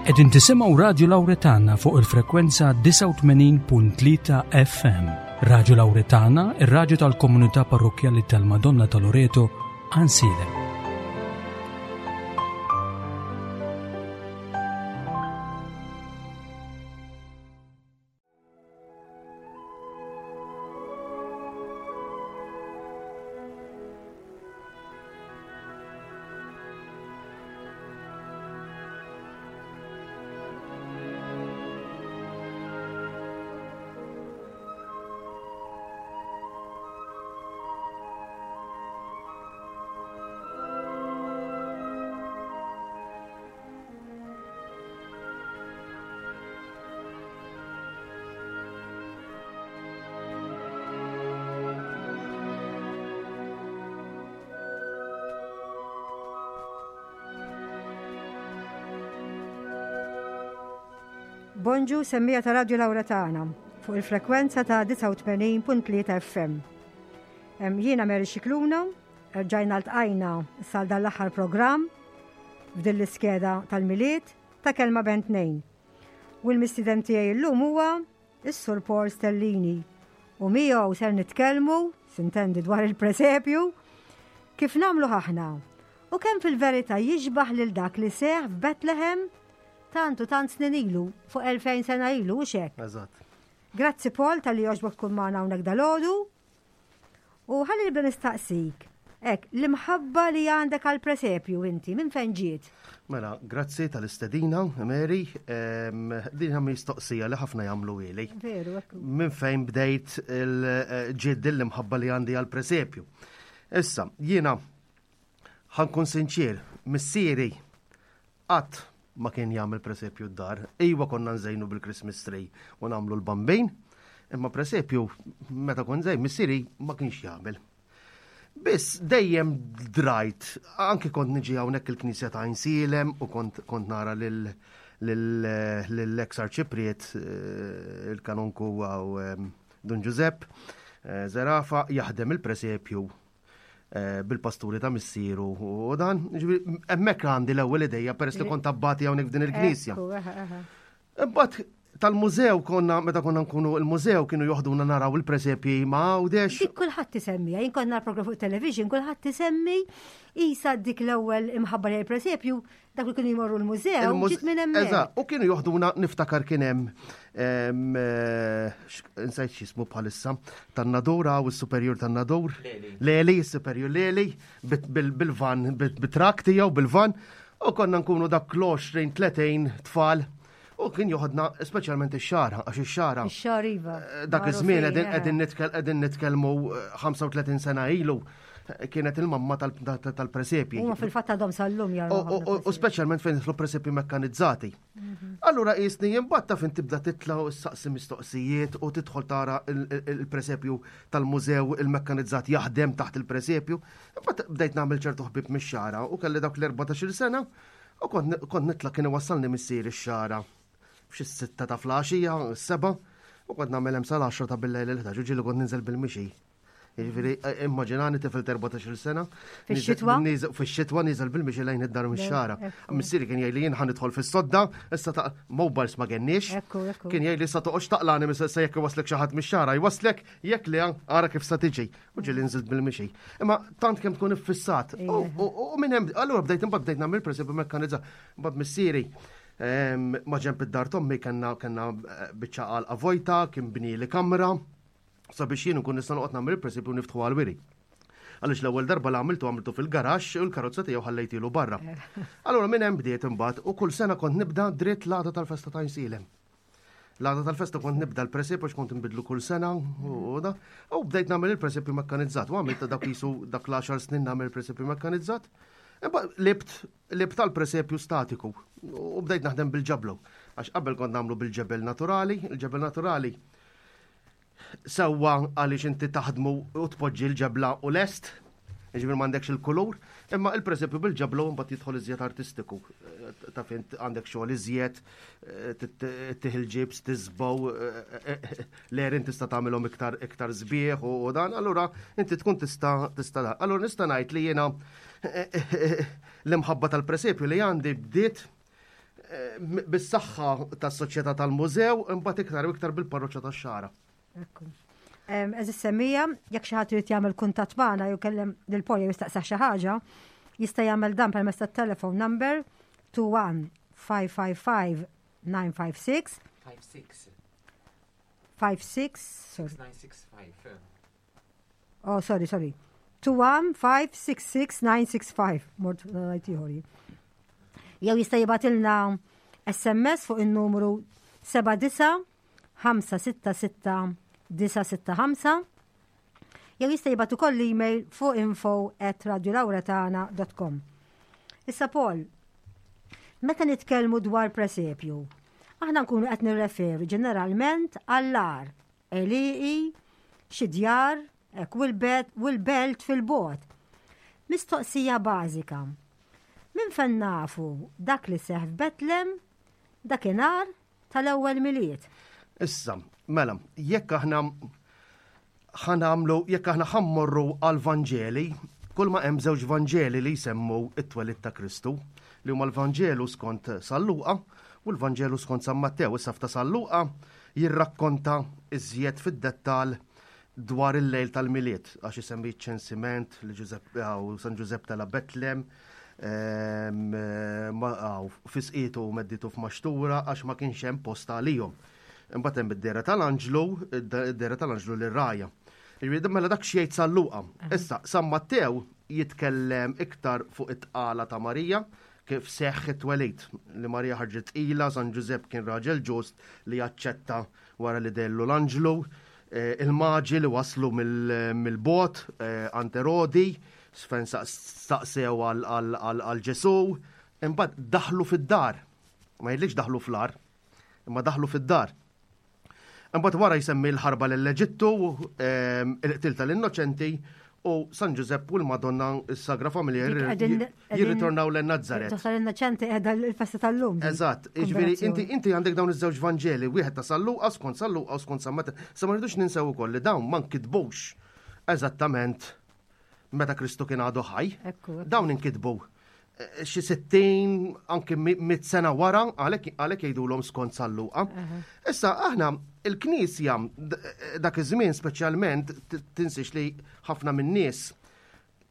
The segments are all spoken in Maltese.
Qegħdin tisimgħu Radju Lawretana fuq il-frekwenza 89.3 FM. Radju Lawretana, ir-radju tal-komunità parrokkjali tal-Madonna ta' Loreto, Ansilem. Bonġu semmija ta' Radio Lauretana fuq il-frekwenza ta' 89.3 FM. Jiena Mary Xikluna, rġajna ltqajna sal dan l-aħħar programm f'din l-iskeda tal-Milied ta' Kelma Bejn Tnejn. U l-mistieden tiegħi llum huwa is-Sur Paul Stellini. U miegħu ser nitkellmu, sintendi dwar il-presepju, kif nagħmlu aħna u kemm fil-verità jixbaħ lil dak li seħ f'Bethlehem tant u tant snin ilu, fuq 2000 sena ilu, u xek. Eżatt. Grazzi Paul tal-li joġbok tkun magħna hawnhekk dalodu. U ħalli nibda nistaqsik, hekk, l-imħabba li għandek għal presepju inti, minn fejn ġiet? Mela, grazzi tal-istedina, Mary. Din hija mistoqsija li ħafna jagħmlu ili. Veru, ekku. Minn fejn bdejt il-ġiet din l-imħabba li għandi għal presepju. Issa, jiena ħankun sinċir, missieri Qatt ma kien jagħmel presepju d-dar. Iwa konna nżejnu bil-Christmas tree u nagħmlu l-bambin, imma presepju meta kont żejn missieri ma kienx jagħmel. Biss dejjem drajt, anki kont niġi hawnhekk il-Knisja ta' Insilem u kont, kont nara lil l-ex arċipriet eh, il-kanonku għaw eh, Dun Giuseppe eh, Zerafa jaħdem il-presepju Eh, bil-pasturi ta' missieru u dan. Hemmhekk għandi l-ewwel idejja peress li kont abbati hawnhekk f'din il-knisja. Imbagħad tal-mużew konna meta konna nkunu il-mużew kienu joħduna naraw il-presepji ma' Għawdex. Dik kulħadd isemmi, jien konna program fuq television, kulħadd isemmi isa dik l-ewwel imħabba li presepju Dak li kienu jmorru l-mużew, ġiet minn hemmhekk. Eżatt, u kienu joħduna niftakar kien hemm eh, insajt x'ismu bħalissa, tan-Nadur u s-superjur tan-Nadur. Leli, s-superjur Leli, bil-van, bit-trak tiegħu bil-van, u konna nkunu dak l-20, 30 tfal. U kien joħodna speċjalment ix-xara, għax ix-xara. Ix-xara iva. Eh, dak iż-żmien qegħdin nitkellmu 35 eh, sena ilu kienet il-mamma tal-presepji. Huma fil-fatt għadhom sal-lum jaraw. U speċjalment fejn jidħlu presepji mekkanizzati. Mhm. Allura jisni jimbatta fejn tibda titla u saqsi mistoqsijiet u tidħol tara il-presepju tal-mużew il-mekkanizzat jaħdem taħt il-presepju. Imbagħad bdejt nagħmel ċertu ħbib mix-xara u kelli dak l-14 sena u kont nitla kien iwassalni missier ix-xara f'xi sitta ta' flaxija, s-seba, u kont nagħmel hemm sal-10 ta' bil-lejl il-11 u ġieli kont ninżel bil-mixi. Jiġifieri eh, immaġinani tifel ta' 14-il sena. Fix-xitwa? Fix-xitwa niżel bil-mixi lejn id-dar mix-xara. Missieri kien jgħidli jien ħa nidħol fis-sodda, issa ta' mobiles ma kenniex. Kien jgħidli sa toqgħodx taqlani sa jekk iwaslek xi ħadd mix-xara, jwaslek jekk le ara kif sa tiġi. U ġieli nżilt bil-mixi. Imma tant kemm tkun iffissat. U minn hemm allura bdejt imbagħad bdejt nagħmel pereżempju mekkanizza. Mbagħad missieri ehm, ma ġemp id-dar tommi kellna kellna eh, biċċa għalqa vojta, kien bnieli kamra sabiex jien nkun nista' noqgħod nagħmel il-presepju niftħu għal-wiri. Għaliex l-ewwel darba li għamiltu għamiltu fil-garaxx u l-karozza tiegħu ħallejtilu barra. Allura minn hemm bdiet imbagħad u kull sena kont nibda dritt l-għada tal-festa ta' Insilem. L-għada tal-festa kont nibda l-presepju għax kont nbidlu kull sena u da. U bdejt nagħmel il-presepju mekkanizzat u għamilt dak jisu dak l-10 snin nagħmel il-presepju mekkanizzat. Imbagħad libt libt tal-presepju statiku u bdejt naħdem bil-ġablu. Għax qabel kont nagħmlu bil-ġebel naturali, il-ġebel naturali Sewwa għaliex inti taħdmu u tpoġġi l-ġebla u lest, jiġifieri m'għandekx il-kulur, imma il-presepju bil-ġebla u mbagħad jidħol iżjed artistiku. Taf int għandek xogħol iżjed, tih il-ġibs, tiżbow, l-għerien tista' tagħmilhom iktar iktar sbieħ u dan, allura inti tkun tista' tista' dan. Allura nista' ngħid li jiena l-imħabba tal-presepju li għandi bdiet. Bis-saħħa tas-Soċjetà tal-Mużew, imbagħad iktar u iktar bil-Parroċċa tax-Xagħra. Ekku. Eżis semmija, jekk xi ħadd irid jagħmel kuntatt magħna jew kellem lil Paul jew jistaqsah xi ħaġa, jista' jagħmel dan permezz tat-telephone number 21 555 956 56 56 sorry. 965. Oh, sorry, sorry. 215-66965. Mort ngħid ieħor. Jew jista' jibgħatilna SMS fuq in-numru 79 566 965 jew jista' jibgħat ukoll email fuq info at radiolauretana.com. Issa Paul, meta nitkellmu dwar presepju, aħna nkunu qed nirreferu ġeneralment għall-ar għelieqi, xi djar, hekk, u l-belt fil-bogħod. Mistoqsija bażika. Minn fejn nafu dak li seħħ f'Betlem dakinhar tal-ewwel Milied? Issa, mela, jekk aħna ħa nagħmlu, jekk aħna ħa mmorru għall-Vanġeli, kull ma hemm żewġ Vanġeli li jsemmu t-twelid ta' Kristu, li huma l-Vanġelu skont San Luqa u l-Vanġelu skont San Mattew. Issa f'ta' San Luqa jirrakkonta iżjed fid-dettall dwar il-lejl tal-Milied, għax isemmi ċ-ċensiment li Ġużepp u San Ġużepp tela' Betlem, ehm, fisqitu u medditu f'maxtura għax ma kienx hemm post għalihom. Imbagħad hemm id-dehra tal-anġlu, id-dehra tal-anġlu lir-rgħajja. Jiġifieri mela dak x'jgħid San Luqa. Issa San Mattew jitkellem iktar fuq it-tqala ta' Marija, kif seħħ it-twelid, li Marija ħarġet tqila, San Ġużepp kien raġel ġust li aċċetta wara li dellu l-anġlu, eh, il-maġi li waslu mill-bot eh, għand Erodi, fejn staqsew għal Ġesu, imbagħad daħlu fid-dar. Ma jgħidlikx daħlu fl-ar, imma daħlu fid-dar. Imbagħad wara jsemmi l-ħarba lill-Eġittu, ehm, il-qtil tal-innoċenti u San Ġużepp u l-Madonna s-Sagra Familja jirritornaw l Nazzaret. Tal-innoċenti qiegħda l-festa tal-lum. Eżatt, jiġifieri inti inti għandek dawn iż-żewġ Vanġeli, wieħed ta' San Luqa skont San Luqa u skont San Mattew. Sa ma rridux ninsew ukoll li dawn ma nkitbux eżattament meta Kristu kien għadu ħaj. Dawn inkitbu eh, xi 60 anke mit sena wara għalhekk jgħidulhom skont San Luqa. Issa aħna il-Knisja eh, dak iż-żmien speċjalment tinsiex li ħafna min-nies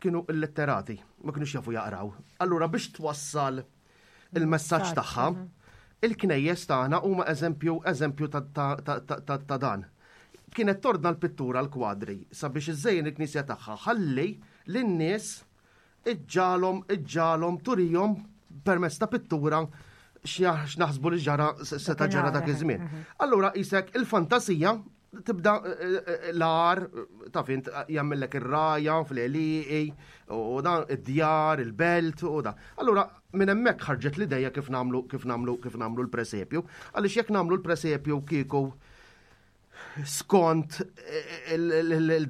kienu illetterati, ma kienux jafu jaqraw. Allura biex twassal il-messaġġ tagħha, il-knejjes tagħna huma eżempju eżempju ta' dan. Kienet tordna l-pittura l-kwadri sabiex iżejjen il-knisja tagħha ħalli lin-nies iġġalhom iġġalhom turihom permezz ta' pittura x'naħsbu li ġara seta' ġara dak iż-żmien. Allura isek il-fantasija tibda eh, eh, eh, l-ar, taf int jagħmellek ir-raja fl-għelieqi u dan id-djar, il-belt u da. Allura minn hemmhekk ħarġet l-idea kif nagħmlu kif nagħmlu kif nagħmlu l-presepju. Għaliex jekk nagħmlu l-presepju kieku skont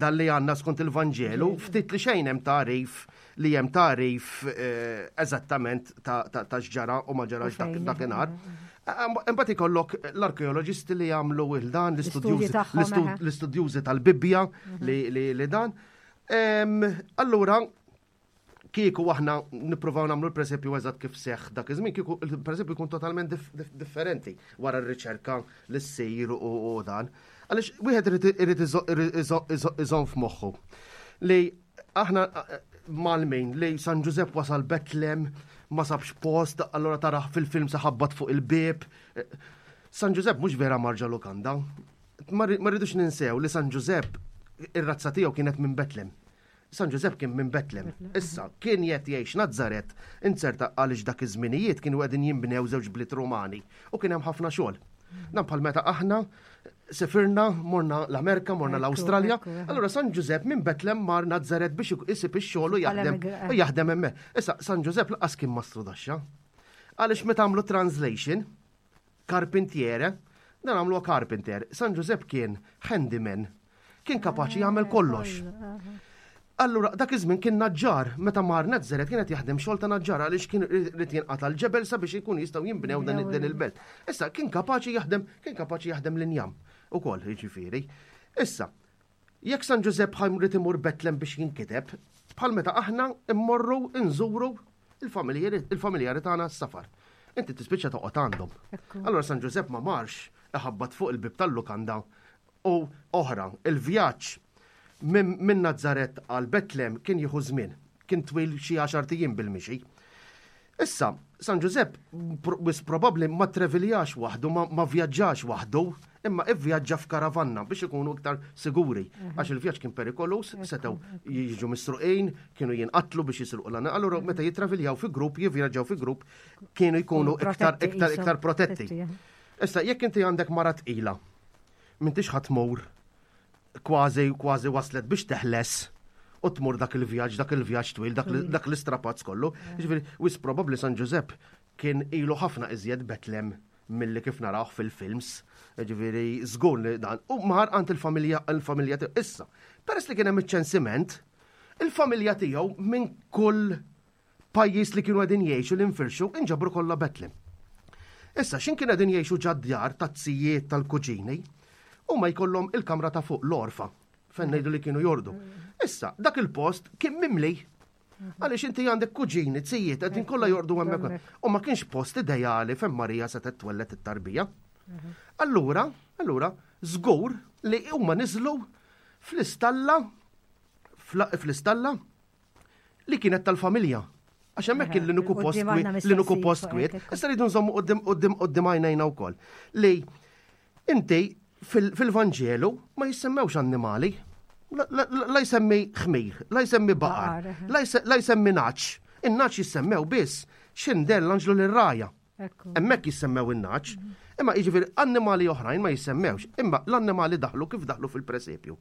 dan li għandna skont il-Vanġelu, ftit li xejn hemm tagħrif li hemm tagħrif eh, eżattament ta' x'ġara u ma ġarax dakinhar. Imbagħad ikollok l-arkeoloġisti li jagħmlu il dan l-istudjużi tal-Bibbja mhm. li dan. Allura, kieku aħna nippruvaw nagħmlu l-presepju eżatt kif seħħ dak iż-żmien, kieku il-presepju jkun totalment differenti wara r-riċerka li ssir u dan. Għaliex wieħed irid iżomm f'moħħu li aħna malmin li San Ġużepp wasal Betlem ma sabx post, allura taraħ fil-film saħabbat fuq il-bieb. San Ġużepp mhux vera marġa lukanda. Ma rridux ninsew li San Ġużepp ir-razza tiegħu kienet minn Betlem. San Ġużepp kien minn Betlem. Issa, kien qed jgħix Nazaret, inzerta għaliex dak iż-żminijiet kienu qegħdin jinbnew żewġ bliet Rumani u kien hemm ħafna xogħol. Dan bħal meta aħna sefirna, morna l-Amerika, morna l-Awstralja. Allura San Ġużepp minn Betlem mar Nazaret biex isib ix-xogħol u jaħdem u jaħdem hemmhekk. Issa San Ġużepp laqas kien mastru daxxa. Għaliex meta għamlu translation, Carpentiere, dan għamluha carpenter. San Ġużepp kien handyman. Kien kapaċi jagħmel kollox. Allura, dak iż-żmien kien naġġar, meta mar Nazaret kien qed jaħdem xogħol ta' naġġar għaliex kien irid jinqata' l-ġebel sabiex ikun jistgħu jinbnew dan il-belt. Issa kien kapaċi jaħdem, kien kapaċi jaħdem l-injam ukoll, jiġifieri. Issa, jekk San Ġużepp ħa jrid imur Betlem biex jinkiteb, bħal meta aħna mmorru nżuru il-familjari tagħna s-safar. Inti tispiċċa toqgħod għandhom. Allura San Ġużepp ma marx iħabbat fuq il-bib tal-lukanda u oħra, il-vjaġġ minn Nazzaret għal Betlem kien jieħu żmien, kien twil xi għaxar ijiem bil-mixi. Issa, San Ġużepp wis probabbli ma treviljax waħdu, ma vjaġġax waħdu, imma ivvjaġġa f'karavanna biex ikunu iktar siguri. Għax il-vjaġġ kien perikolus, setgħu jiġu misruqin, kienu jinqatlu biex jisruqu l Allura meta jitraviljaw fi grupp, jivvjaġġaw fi grupp, kienu jkunu iktar iktar iktar protetti. Issa, jekk inti għandek mara tqila, m'intix ħa tmur kważi kważi waslet biex teħles u tmur dak il-vjaġġ, dak il-vjaġġ twil, dak l-istrapazz kollu. Ġifieri, wis probabbli San Ġużepp kien ilu ħafna iżjed Betlem milli kif narawh fil-films. Ġifieri, żgur li dan. U mar għand il-familja il-familja tiegħu. Issa, peress li kien hemm iċ-ċensiment, il-familja tiegħu minn kull pajjiż li kienu qegħdin jgħixu li nfirxu inġabru kollha Betlem. Issa, x'in kien qegħdin jgħixu ġad-djar tat-zijiet tal-kuġini, huma jkollhom il-kamra ta' fuq l-orfa, fejn ngħidu li kienu jordu. Issa, dak il-post kien mimli. Għaliex inti għandek kuġini, zijiet, qegħdin kollha jordu hemmhekk. U ma kienx post ideali fejn Marija setgħet twellet it-tarbija. Allura, allura, żgur li huma niżlu fl-istalla fl-istalla li kienet tal-familja. Għax hemmhekk kien l-uniku post l-uniku post kwiet. Issa rridu nżommu qudiem qudiem qudiem għajnejna wkoll. Li inti fil-Vanġelu ma jissemmewx annimali. La jsemmi ħmir, la jsemmi baqar, la jsemmi naċ. In-naċ jissemmew biss x'indell l-anġlu lir-raja. Hemmhekk jissemmew in-naċ. Imma jiġifieri annimali oħrajn ma jissemmewx, imma l-annimali daħlu kif daħlu fil-presepju.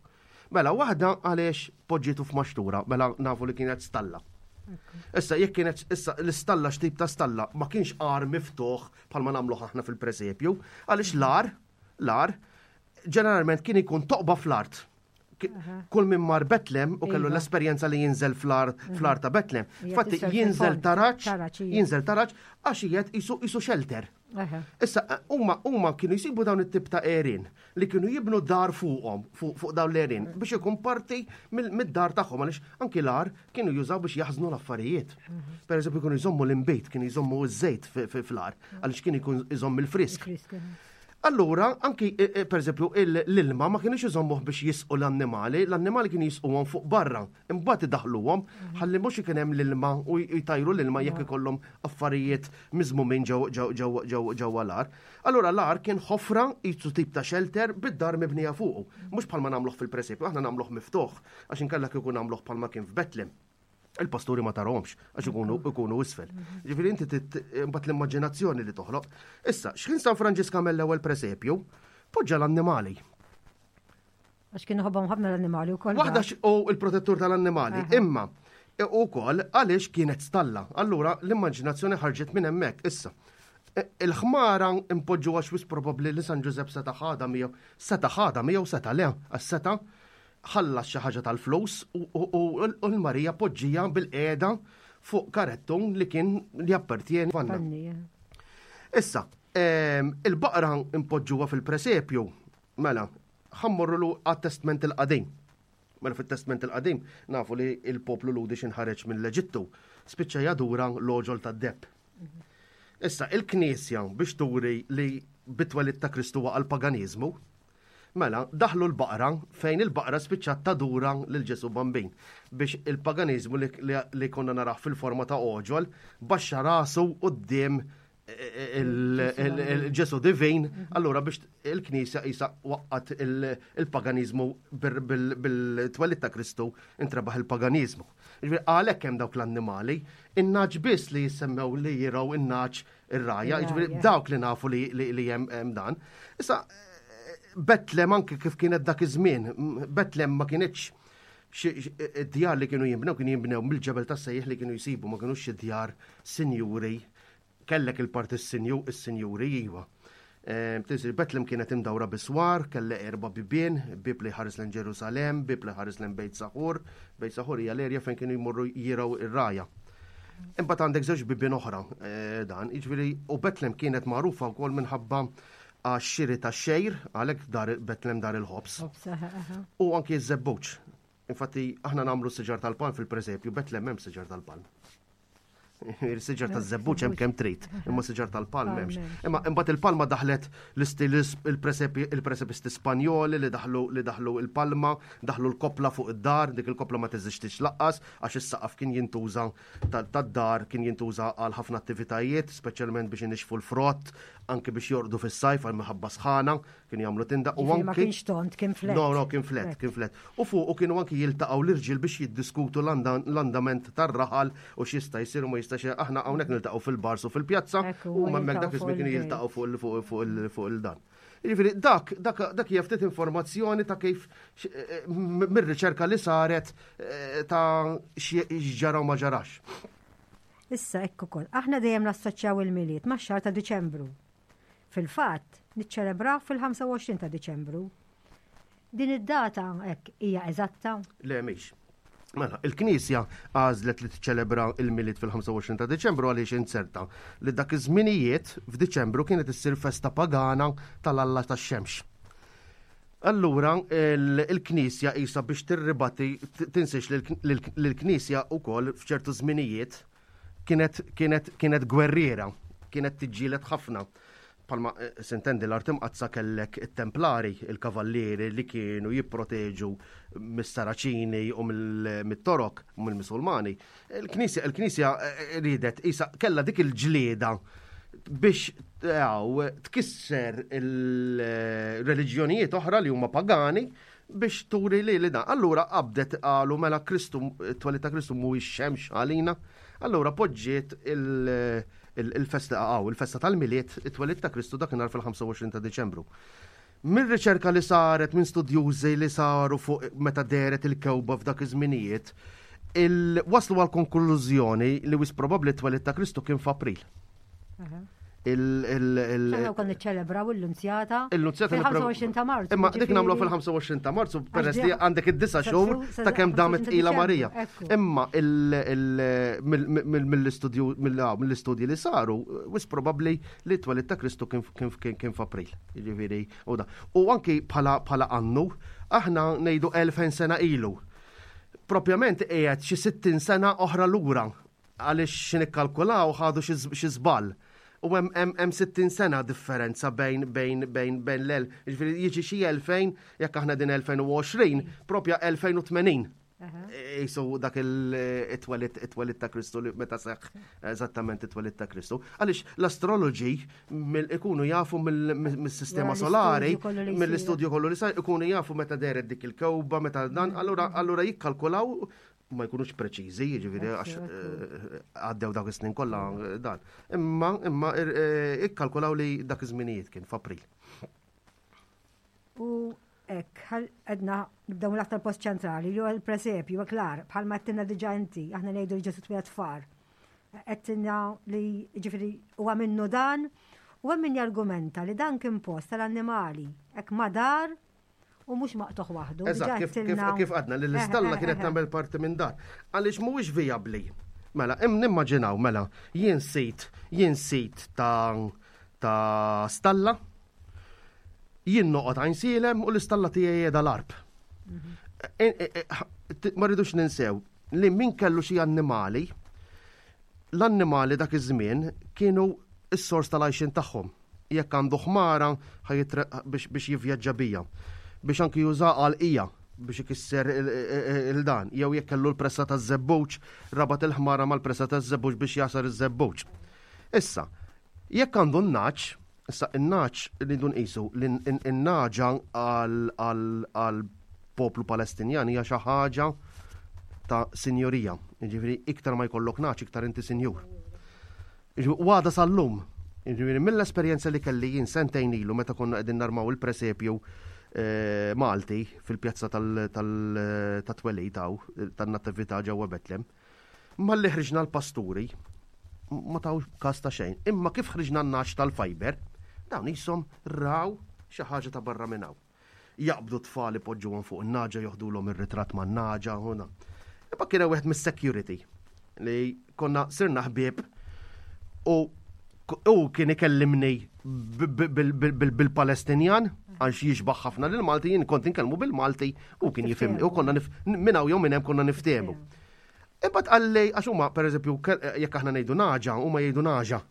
Mela waħda għaliex poġġietu f'maxtura, mela nafu li kienet stalla. Issa jekk kienet issa l-istalla x'tip ta' stalla ma kienx għar miftuħ bħalma nagħmluh aħna fil-presepju, għaliex l-għar, l-għar ġeneralment kien ikun toqba fl-art. Kull min mar Betlem u kellu iva. l-esperjenza li jinżel fl-art fl-art ta' Betlem. Fatti jinżel taraġ, jinżel taraġ għax qiegħed isu shelter. Issa huma huma kienu jsibu dawn it-tip ta' għerien li kienu jibnu dar fuqhom fuq dawn l-għerien biex ikun parti mid-dar tagħhom għaliex anki l-għar kienu jużaw biex jaħżnu l-affarijiet. Per eżempju kienu jżommu l-inbejt, kienu jżommu ż-żejt fl-għar għaliex kien ikun iżomm il-frisk. Allura, anki e, e, per eżempju l-ilma ma kienux iżommuh biex jisqu l-annimali, l-annimali kienu jisquhom fuq barra. Imbagħad idaħħluhom ħalli mhux ikun hemm l-ilma u jtajru l-ilma jekk ikollhom affarijiet miżmumin ġewwa l-għar. Allura l-għar kien ħofra qisu tip ta' shelter bid-dar mibnija fuqu. Mhux bħalma nagħmluh fil-presepju, aħna nagħmluh miftuħ għax inkella kieku nagħmluh bħalma kien f'Betlem. Il-pasturi ma tarahomx għax ikunu ikunu isfel. Ġifieri inti imbagħad l-immaġinazzjoni li toħloq. Issa, x'ħin San Franġisk għamel l-ewwel presepju, poġġa l-annimali. Għax kien iħobbhom ħafna l-annimali wkoll. Waħda u il-protettur tal-annimali, imma e, ukoll għaliex kienet stalla. Allura l-immaġinazzjoni ħarġet minn hemmhekk issa. E, il-ħmara impoġġu għax wis probabbli li San Ġużepp seta' ħadha miegħu, seta' ħadha miegħu seta' le, għax seta' ħallas xi ħaġa tal-flus u l-Marija poġġija bil-qiegħda fuq karettun li kien li jappertjeni vanna. Issa, il-baqra impoġġuha fil-presepju, mela, Ħa mmorru lu għat-Testment il-Qadim. Mela fit-Testment il-Qadim nafu li il-poplu Lhudi x'inħareġ mill-Eġittu spiċċa jadura l-għoġol tad-deheb. Issa, il-Knisja biex turi li bit-twelid ta' Kristu waqa' l-paganiżmu, mela daħlu l-baqra fejn il-baqra spiċċat tadura lil Ġesù Bambin biex il-paganiżmu li, li, li konna narah fil-forma ta' għoġol baxxa rasu quddiem il-Ġesu divin, allura biex il-Knisja isa waqqat il-paganizmu bil-twelid ta' Kristu intrebaħ il-paganizmu. Ġifieri għalhekk hemm dawk l-annimali, in-naġ biss li jissemmew li jiraw in-naġ ir-raja, ġifieri dawk li nafu li hemm dan. Issa Betlem anke kif kienet dak iż-żmien, Betlem ma kienitx id-djar li kienu jinbnew kienu jinbnew mill-ġebel tas-sejjeħ li kienu jsibu ma kinux xi djar sinjuri Kellek il-parti s-sinju, is-sinjuri, iva. Ehm, Tisir Betlem kienet imdawra biswar, kelle erba bibien, bib li ħares lejn Ġerusalem, bib li ħares lejn Bejt Saħur, Bejt Saħur hija l-erja fejn kienu jmorru jiraw ir-raja. Imbagħad għandek żewġ bibien oħra eh, dan, jiġifieri u Betlem kienet magħrufa wkoll minħabba għax-xiri tax-xejr, għalhekk dar Betlem dar il-ħobż. U anki ż-żebbuġ. Infatti aħna nagħmlu siġar tal-palm fil-presepju, Betlem hemm siġar tal-palm. Il-siġar taż-żebbuġ hemm kemm trid, imma siġar tal-palm m'hemmx. Imma imbagħad il-palma daħlet l-istil il-presepisti Spanjoli li daħlu li daħlu il-palma, daħlu l-koppla fuq id-dar, dik il-koppla ma teżistix laqqas għax is-saqaf kien jintuża tad-dar kien jintuża għal ħafna attivitajiet, speċjalment biex inixxfu l-frott, anke biex jorqdu fis-sajf għal minħabba sħana. Kienu jagħmlu tinda u anki. Ma kienx tont, kien flet. No, no, kien flet, kien flet. U fuq u kienu anki jiltaqgħu l-irġiel biex jiddiskutu l-andament tar-raħal u x'jista' jsir u ma jistax aħna hawnhekk niltaqgħu fil-bars u fil-pjazza u hemmhekk dak iż-żmien kienu jiltaqgħu fuq il-dan. Jiġifieri dak dak dak hija ftit informazzjoni ta' kif eh, eh, mir-riċerka li saret eh, ta' x'ġara u ma ġarax. Issa hekk ukoll, aħna dejjem nassoċjaw il-Milied max-xahar ta' Diċembru. Fil-fatt, niċċelebraw fil-25 ta' Diċembru. Din id-data hekk hija eżatta? Le mhix. Mela, il-Knisja għażlet li tiċċelebra il-Milied fil-25 ta' Diċembru għaliex inzerta li dak iż-żminijiet f'Diċembru kienet issir festa pagana tal-Alla tax-xemx. Allura il-Knisja qisha biex tirribatti tinsiex li l-Knisja wkoll f'ċertu żminijiet kienet kienet kienet gwerriera, kienet tiġġieled ħafna. Palma eh, sintendi l-art imqazza kellek it-templari, il-kavallieri li kienu jipproteġu mis-Saraċini u mit-Torok u mill-Musulmani. Il-Knisja il-Knisja eh, eh, ridet isa kellha dik il-ġlieda biex tkisser il-reliġjonijiet oħra li huma pagani biex turi li li dan. Allura qabdet qalu mela Kristu, it-twelid ta' Kristu mhuwiex xemx għalina. Allura poġġiet il-festa għaw, il-festa tal-Milied, it-twelid ta' Kristu dakinhar fil-25 ta' Diċembru. Mir-riċerka li saret minn studjużi li saru fuq meta dehret il-kewba f'dak iż-żminijiet, waslu għal konklużjoni li wis probabbli t-twelid ta' Kristu kien f'April. Il- kon niċċelebraw il-Lunzjata. Il-Lunzjata fil-25 ta' Marzu. Imma dik nagħmlu fil-25 ta' Marzu peress li għandek id-disa xhur ta' kemm damet ila Marija. Imma mill-istudju mill-istudji li saru, wis probabbli li t-twelid ta' Kristu kien f'April. Jiġifieri u da. U anki bħala annu, aħna ngħidu 2000 sena ilu. Propjament qiegħed xi 60 sena oħra lura Għaliex xi nikkalkulaw ħadu xi żball. U hemm hemm 60 sena differenza bejn bejn bejn bejn l jiġifieri jiġi xi 2000 jekk aħna din 2020, propja 2080. Isu dak il-twelid it-twelid ta' Kristu li meta seħħ eżattament it-twelid ta' Kristu. Għaliex l-astroloġi ikunu jafu mill-sistema solari, mill-istudju kollu li sar, ikunu jafu meta deret dik il-kewba, meta dan, allura allura jikkalkulaw ma jkunux preċiżi, jiġifieri għax eh, għaddew dak is-snin kollha eh, dan. Imma imma eh, ikkalkulaw li dak iż-żminijiet kien f'April. U hekk, għedna nibdew mill-aktar post ċentrali li huwa l-presepju, klar, bħalma għedtilna diġà inti, aħna ngħidu li Ġesu twieled far. Għedtilna li ġifieri huwa minnu dan u hemm min jargumenta li dan kien post tal-annimali, hekk madar u mhux maqtuħ waħdu. Eżatt, kif għadna li l-istalla kienet tagħmel parti minn dar. Għaliex mhuwiex vijabbli. Mela, im nimmaġinaw, mela, jien sit, jien sit ta' ta' stalla, jien noqgħod għajn sielem u l-istalla tiegħi qiegħda l-arb. Mhm. E, e, e, ma rridux ninsew li min kellu xi annimali, l-annimali dak iż-żmien kienu s-sors tal-għajxin tagħhom. Jekk għandu ħmara biex jivvjaġġa bija. Biex anki juża għal ija biex ikisser il-dan. Jew jekk kellu l-pressa taż-żebbuġ, rabat il-ħmara mal-pressa taż-żebbuġ biex jasar iż-żebbuġ. Issa, jekk għandu n-naċ, issa n-naċ rridu nqisu li n-naġa għal poplu Palestinjan hija xi ħaġa ta' sinjorija. Jiġifieri iktar ma jkollok naċ, iktar inti sinjur. U għadha sal-lum. Jiġifieri mill-esperjenza li kelli jien sentejn ilu meta konna qegħdin narmaw il-presepju eh, Malti fil-pjazza tal-twelid hawn, tan-Natività ġewwa Betlem, malli ħriġna l-pasturi ma taw każ ta' xejn. Imma kif ħriġna n-naċ tal-fiber, dawn jisom raw xi ħaġa ta' barra minn hawn. Jaqbdu tfal ipoġġuhom fuq in-naġa joħdulhom ir-ritratt man-naġa u dan. Imma kien hemm wieħed mis-security li konna sirna ħbieb u u kien ikellimni bil-Palestinjan għax jixbaħ ħafna lil Malti jien kont inkellmu bil-Malti u kien jifhimni u konna minn hawn jew minn hemm konna niftehmu. Imbagħad qalli għax huma pereżempju jekk aħna ngħidu naġa, huma jgħidu naġa.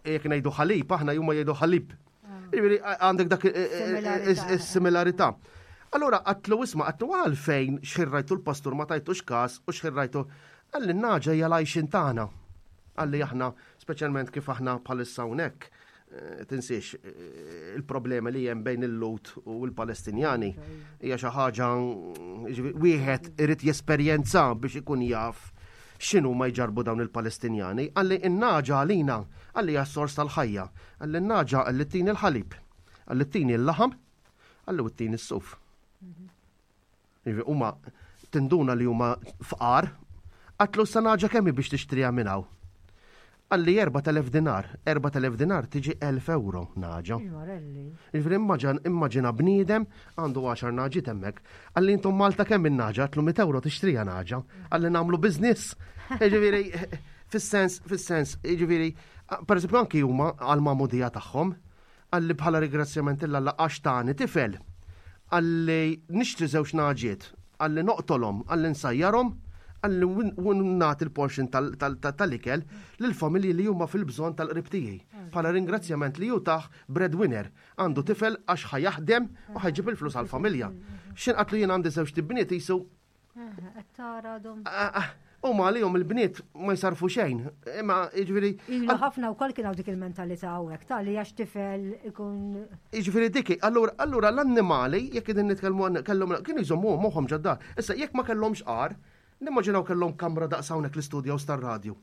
Jekk ngħidu ħalib, aħna huma jgħidu ħalib. Ah. Jiġifieri għandek dak is-similarità. Allura għatlu isma' għatlu għalfejn xħirrajtu l-pastur ma tajtux każ u xħirrajtu għalli naġa hija l-għajxin tagħna. Għalli aħna, speċjalment kif aħna bħalissa hawnhekk, eh, tinsiex eh, il-problemi li hemm bejn il-Lut u l-Palestinjani hija xi ħaġa wieħed irid jesperjenza biex ikun jaf x'inhu ma jġarbu dawn il-Palestinjani. Għalli n-naġa għalina, għalli hija sors tal-ħajja, għalli n-naġa għalli tini l-ħalib, għalli tini l-laħam, għalli tini s-suf. Jiġifieri huma tinduna li huma fqar, qatlu sa naġa kemm biex tixtriha minn hawn. Qalli 4000 dinar, 4000 dinar tiġi 1000 euro naġa. Jiġifieri immaġina bniedem għandu 10 naġiet hemmhekk. Qalli intom Malta kemm in-naġa, għatlu 100 euro tixtriha naġa. Qalli nagħmlu business. Jiġifieri fis-sens, fis-sens, jiġifieri, pereżempju anki huma għal-magħmudija tagħhom, Qalli bħala ringrazzjament 'l Alla għax tani tifel. Qalli nixtri żewġ nagħġiet. Qalli noqtolhom, qalli nsajjarhom, qalli u nagħti l-portion tal-ikel lill-familji li huma fil-bżonn tal-qrib tiegħi. Bħala ringrazzjament li hu tah breadwinner. Għandu tifel għax ħa jaħdem u ħa jġib il-flus għall-familja. X'inqatlu qatlu jien għandi żewġt ibniet qisu Qed tara għadhom. Ah, ah, huma għalihom il-bniet ma jsarfu xejn. Imma jiġifieri. Ilu ħafna wkoll kien hawn dik il-mentalità hawnhekk ta' li għax tifel ikun. Jiġifieri dik, allura allura l-annimali jekk qegħdin nitkellmu kellhom kienu jżommuhom moħħhom ġad-dar. Issa jekk ma kellhomx għar, nimmaġinaw kellhom kamra daqs hawnhekk l-istudjo tar-radju.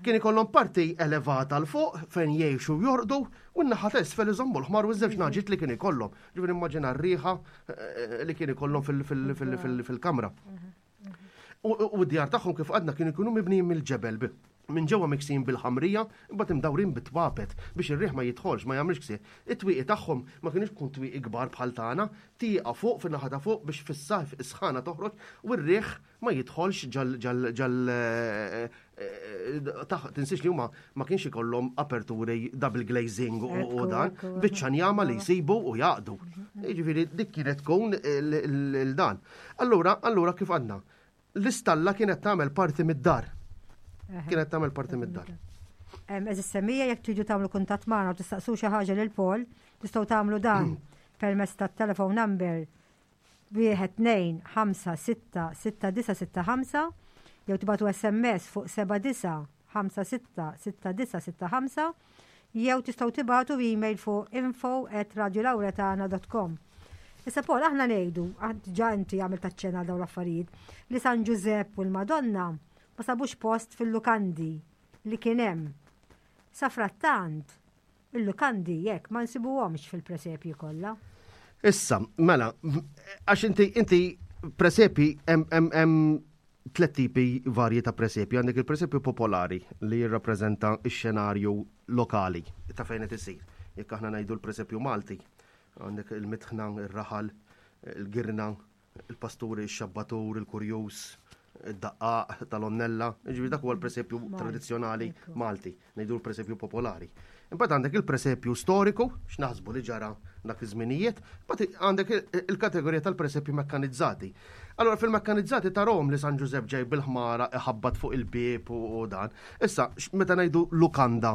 Kien ikollhom parti elevata 'l fuq fejn jgħixu u jorqdu u n-naħa t'isfel iżommu l-ħmar u ż-żewġ naġiet li kien ikollhom. Ġifieri immaġina r-riħa eh, li kien ikollhom fil-kamra. U d-djar tagħhom kif għadna kienu jkunu mibnijin mill-ġebel minn ġewwa miksin bil-ħamrija, imbagħad imdawrin bit-twapet biex ir-riħ ma jidħolx, ma jagħmilx ksieħ. It-twieqi tagħhom ma kienx tkun twieqi kbar bħal tagħna, tieqa fuq fin-naħa ta' fuq biex fis-sajf is-sħana toħroġ u r-riħ ma jidħolx ġal ġal ġal eh, eh, tinsiex li huma ma kienx ikollhom aperturi double glazing u dan, biċċa njama li jsibu u jaqdu. Jiġifieri dik kienet tkun il-dan. Allura, allura kif għandna? L-istalla kienet tagħmel parti mid-dar. Kienet tagħmel parti mid-dar. Eżis semija jekk tridu tagħmlu kuntatt magħna u tistaqsu xi ħaġa lil Paul, tistgħu tagħmlu dan permezz tat-telephone number 1 2 5 6 6 9 6 5 jew tibatu SMS fuq 7 9 5 6 6 9 6 5 jew tistgħu tibatu email fuq info at radiolauretana.com. Issa Paul, aħna ngħidu, ġa inti għamil taċċena dawn l-affarijiet, li San Ġużepp u l-Madonna ma sabux post fil-lukandi li kien hemm. Sa frattant, Il-lukandi jekk ma nsibuhomx fil-presepji kollha. Issa, mela, għax inti inti presepi hemm tlet tipi varji ta' presepju. Għandek il-presepju popolari li jirrappreżenta x-xenarju lokali ta' fejn qed isir. Jekk aħna ngħidu l-presepju Malti, għandek il-mitħna, ir-raħal, il-girna, il-pasturi, ix-xabbatur, il-kurjuż, id-daqqaq tal-onnella, ġifieri dak huwa l-presepju tradizzjonali Malti, ngħidu l-presepju popolari. Imbagħad għandek il-presepju storiku, x'naħsbu li ġara dak iż-żminijiet, imbagħad għandek il-kategorija tal-presepju mekkanizzati. Allora fil-mekkanizzati tarahom li San Ġużepp ġej bil-ħmara iħabbat fuq il-bieb u dan. Issa, meta ngħidu lukanda,